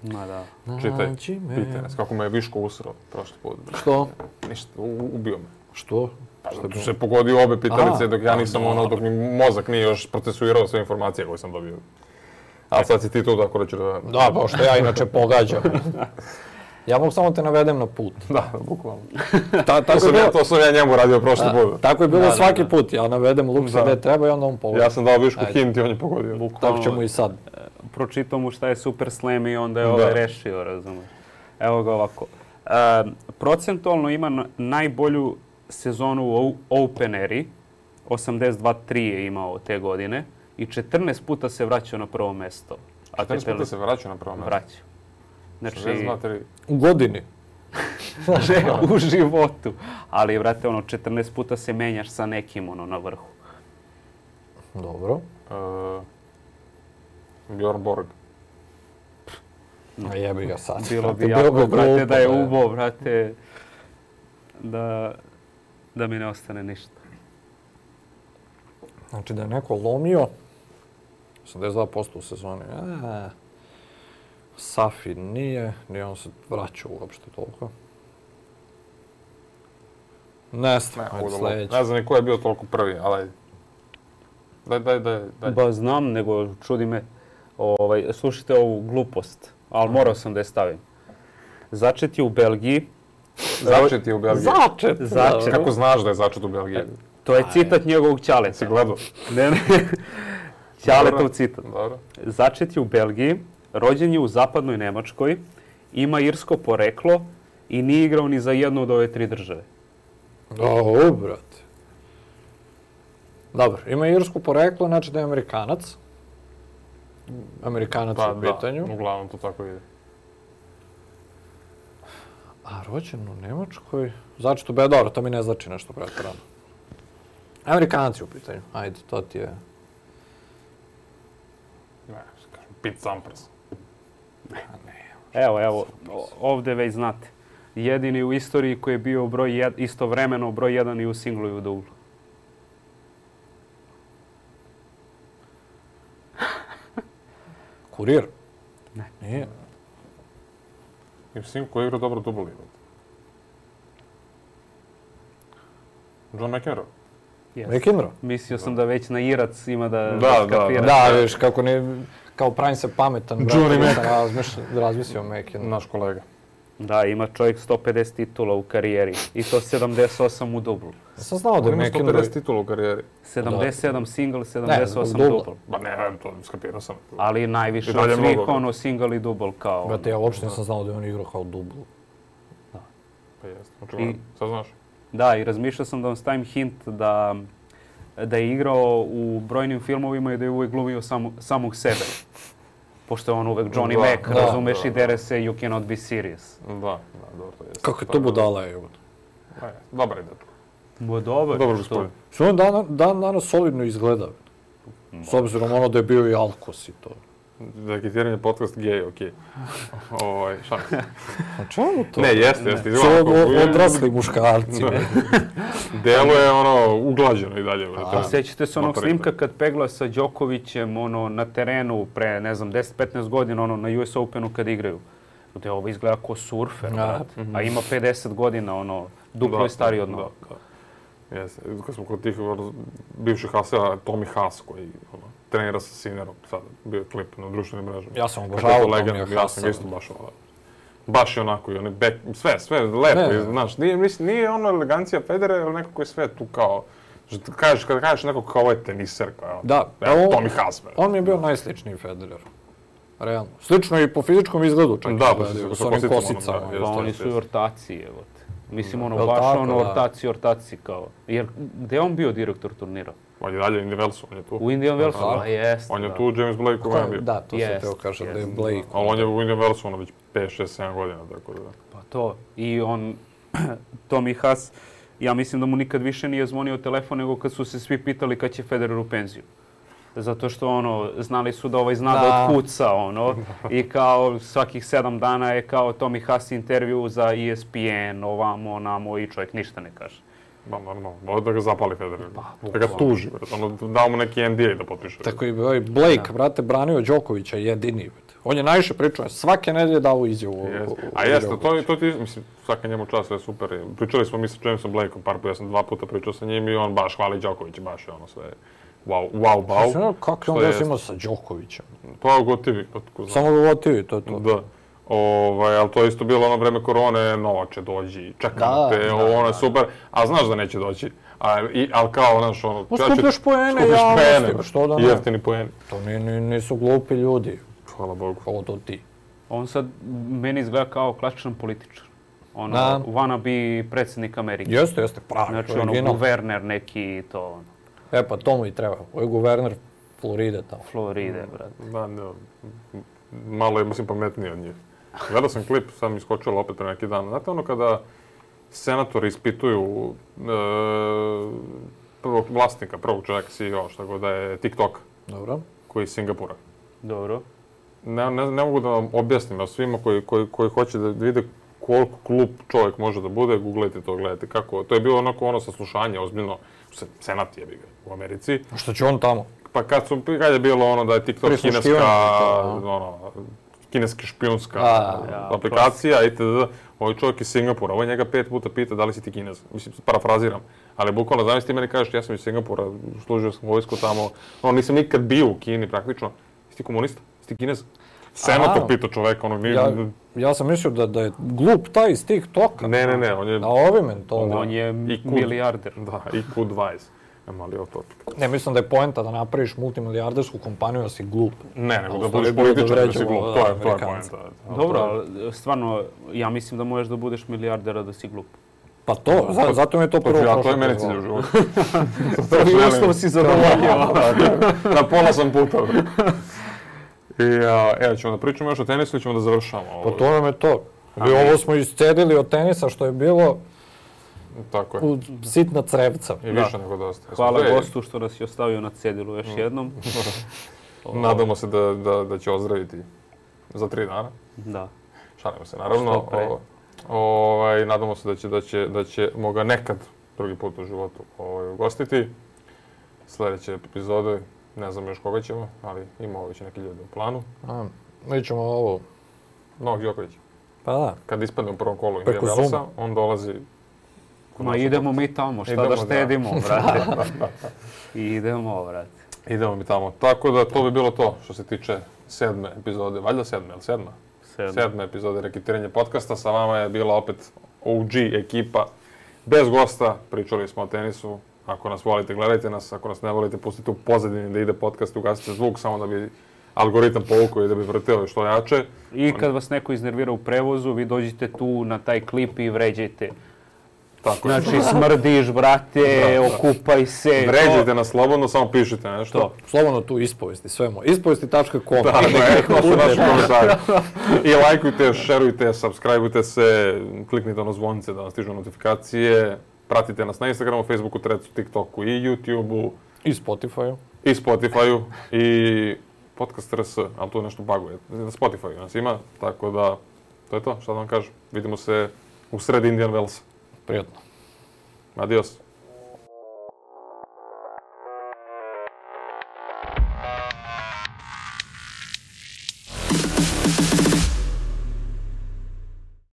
Ma da. Čitaj, pitaj nas kako me je Viško usrao prošli put. Što? Ništa, ubio me. Što? Zato što se pogodio obe pitalice dok ja nisam dok mi mozak nije još procesuirao sve informacije koje sam dobio. A sad si ti tu tako reći da... Da, pa što ja inače pogađam. Ja mogu samo te navedem na put. Da, bukvalno. To sam ja njemu radio prošli put. Tako je bilo svaki put. Ja navedem Luksa gdje treba i onda on pogodio. Ja sam dao Višku hint i on je pogodio. Tako ćemo i sad. Pročitao mu šta je Super Slam i onda je rešio, razumiješ. Evo ga ovako. Procentualno ima najbolju sezonu u Open eri. 82-3 je imao te godine. I 14 puta se vraćao na prvo mesto. 14 puta se vraćao na prvo mesto? Vraćao. Znači, u godini. U životu. Ali, vrate, 14 puta se menjaš sa nekim na vrhu. Dobro. Bjorn Borg. Jebi ga sad. Bilo bi jako, brate, da je ubo, brate, da mi ne ostane ništa. Znači da je neko lomio 82% u sezoni. Safi nije on se vraćao uopšte toliko. Ne znam ni ko je bio toliko prvi, ali daj. Ba znam, nego čudi me. Slušajte ovu glupost, ali morao sam da je stavim. Začet je u Belgiji. Začet je u Belgiji? Začet. Kako znaš da je začet u Belgiji? To je citat njegovog Ćaleta. Si gledao? Ne. Ćaletov citat. Začet je u Belgiji, rođen je u zapadnoj Nemačkoj, ima irsko poreklo i nije igrao ni za jednu od ove 3 države. Brate. Dobro, ima irsko poreklo, znači da je Amerikanac. Amerikanac u pitanju. Da, uglavnom to tako ide. A rođen u Nemačkoj? Znači to dobro, to mi ne znači nešto pretjerano. Amerikanac je u pitanju, ajde, to ti je... Pete Sampras. Evo, ovdje već znate. Jedini u istoriji koji je bio istovremeno broj 1 i u singlu i u dublu. Kurir? Ne. Nije. I u singlu koji je igrao dobro dublu ligu. John McEnroe. McEnroe? Mislio sam da već na Irac ima da skapira. Da, viš, kako ne... Kao pravim se pametan. Johnny Mac. Razmislio McEnroe. Naš kolega. Da, ima čovjek 150 titula u karijeri. I to 78 u dublu. Sam znao da je McEnroe... Ima 150 titula u karijeri. 77 single, 78 dubl. Ba ne, to skapirao sam. Ali najviše od svih single i dubl kao... Brate, ja uopšte nisam znao da je on igrao kao dublu. Pa jeste, očigledno. Sad znaš? Da, i razmišljao sam da vam stavim hint da da je igrao u brojnim filmovima i da je uvijek glumio samog sebe. Pošto je on uvek Johnny Mac, razumeš, i dere se You Cannot Be Serious. Da, dobro to jest. Kako je to budala, evo. Dobar je dečko. Dobar. Dobar gospodin. Što on danas solidno izgleda. S obzirom ono da je bio i Alkos i to. Raketiranje podcast gej, okej. Šalim se. A čemu to? Ne, jeste. Su odrasli muškarci. Delo je ono uglađeno i dalje. Sjećate se onog snimka kad pegla sa Đokovićem na terenu pre, ne znam, 10-15 godina na US Openu kad igraju. Gde ovo izgleda kao surfer, a ima 50 godina, duplo je stariji od nas. Jeste. Kad smo kod tih bivših Haseva, Tommy Haas koji trenira sa Sinerom, sad bio je klip na društvenim mrežama. Ja sam obožavao Tommy Haasa. Ja sam isto baš baš je onako, i on je sve lepo, znaš, nije ono elegancija Federer, ali nekako je sve tu kao, kada kažeš nekako kao ovo je teniser, kao, Tommy Haas. On mi je bio najsličniji Federer. Realno. Slično i po fizičkom izgledu čak. Da, s onim kosicama. Oni su i ortaci, evo te. Mislim, baš ortaci kao. Jer gde je on bio direktor turnira? On je dalje u Indian Wellsu, on je tu. U Indian Wellsu, a jeste. On je tu, James Blake u Wembley. Da, to sam teo kažem, da je Blake. Ali on je u Indian Wellsu, već 5, 6, 7 godina, tako da. Pa to. I on, Tommy Haas, ja mislim da mu nikad više nije zvonio telefon nego kad su se svi pitali kad će Federer u penziju. Zato što znali su da zna da otkuca, i kao svakih 7 dana je kao Tommy Haas intervju za ESPN, ovamo, onamo i čovjek ništa ne kaže. Ba, normalno, može da ga zapali Federer, da ga tuži, dao mu neki NDA da potpiše. Tako i Blake, brate, branio Đokovića jedini. On je najviše pričao, svake nedelje dao izjavu. A jeste, to ti, mislim, svaka njemu čast, sve super. Pričali smo mi sa Jamesom Blakeom par puta, ja sam 2 puta pričao sa njim i on baš hvali Đokovića, baš je sve. Wow. Kako je on već imao sa Đokovićem? Pa gotivi. Samo ga gotivi, to je to. Da. Ali to je isto bilo ono vreme korone, Novače dođi, čekamo te, ono je super, a znaš da neće doći. Ali kao, znaš, skupljaš poene javnosti, što da ne? Jeftini poeni. To nisu glupi ljudi. Hvala Bogu. Ovo to ti. On sad meni izgleda kao klasičan političar. Wannabe predsjednik Amerike. Jeste, pravi. Znači, guverner neki i to. Pa to mu i treba. Ovo je guverner Floride tamo. Floride, brate. Da, malo je, mislim, pametniji od njih. Gledao sam klip, sad mi iskočilo opet pre neki dan. Znate ono kada senatori ispituju prvog vlasnika, prvog čovjeka, CEO, šta god da je TikTok. Dobro. Koji je iz Singapura. Dobro. Ne mogu da vam objasnim, a svima koji hoće da vide koliko glup čovjek može da bude, googlajte to, gledajte kako. To je bilo onako saslušanje, ozbiljno, senat je u Americi. A što će on tamo? Pa kad je bilo da je TikTok kineska špijunska aplikacija, itd. Ovaj čovjek iz Singapura, ovaj njega 5 puta pita da li si ti Kinez. Mislim, parafraziram. Ali bukvalno, znaš ti meni kažeš, ja sam iz Singapura, služio sam vojsku tamo, nisam nikad bio u Kini praktično. Jesi ti komunista? Jesi ti Kinez? Senator pitao čoveka, Ja sam mislio da je glup taj iz TikToka. Ne, on je... Na ovime to... On je milijarder. Da, IQ 20. Mali otočak. Ne, mislim da je poenta da napraviš multimilijardersku kompaniju, da si glup. Ne, nego da budeš političar, da si glup. To je poenta. Dobro, ali stvarno, ja mislim da možeš da budeš milijardera da si glup. Pa to, zato mi je to prvo prošlo. To je meni cilj u životu. Prvi uslov si zadovoljio. Na pola sam puta. Evo ćemo da pričamo još o tenisu ili ćemo da završamo? Pa to nam je to. Ovo smo iscedili od tenisa što je bilo u sitna crevca. I više nego dosta. Hvala gostu što nas je ostavio na cedilu još jednom. Nadamo se da će ozdraviti za 3 dana. Da. Šalimo se, naravno. Nadamo se da ćemo ga nekad drugi put u životu ugostiti. Sljedeće epizode, ne znam još koga ćemo, ali imamo već neki ljudi u planu. Mi ćemo ovo... Novak Đoković. Pa da. Kad ispadne u prvom kolu Indian Wellsa, on dolazi... Ma idemo mi tamo, šta da štedimo, brate. Idemo, brate. Idemo mi tamo. Tako da to bi bilo to što se tiče 7. epizode. Valjda 7. ili 7. 7. epizode Raketiranje podcasta. Sa vama je bila opet OG ekipa. Bez gosta. Pričali smo o tenisu. Ako nas volite, gledajte nas. Ako nas ne volite, pustite u pozadini da ide podcast, ugasite zvuk samo da bi algoritam povukao i da bi vrteo što jače. I kad vas neko iznervira u prevozu, vi dođete tu na taj klip i vređajte Tako je. Znači, smrdiš, brate, okupaj se. Vređajte nas slobodno, samo pišite nešto. To. Slobodno tu ispovesti, sve mo. Ispovesti.com. Da, naši komentari. I lajkujte, šerujte, subscribeujte se, kliknite ono zvonce da vam stižu notifikacije. Pratite nas na Instagramu, Facebooku, Threadsu, TikToku i YouTubeu. I Spotifyu. I Spotifyu. I podcast RS, ali tu nešto baguje. Na Spotifyu nas ima, tako da to je to, šta da vam kažem. Vidimo se u sred Indian Wellsa. Prijatno. Adios.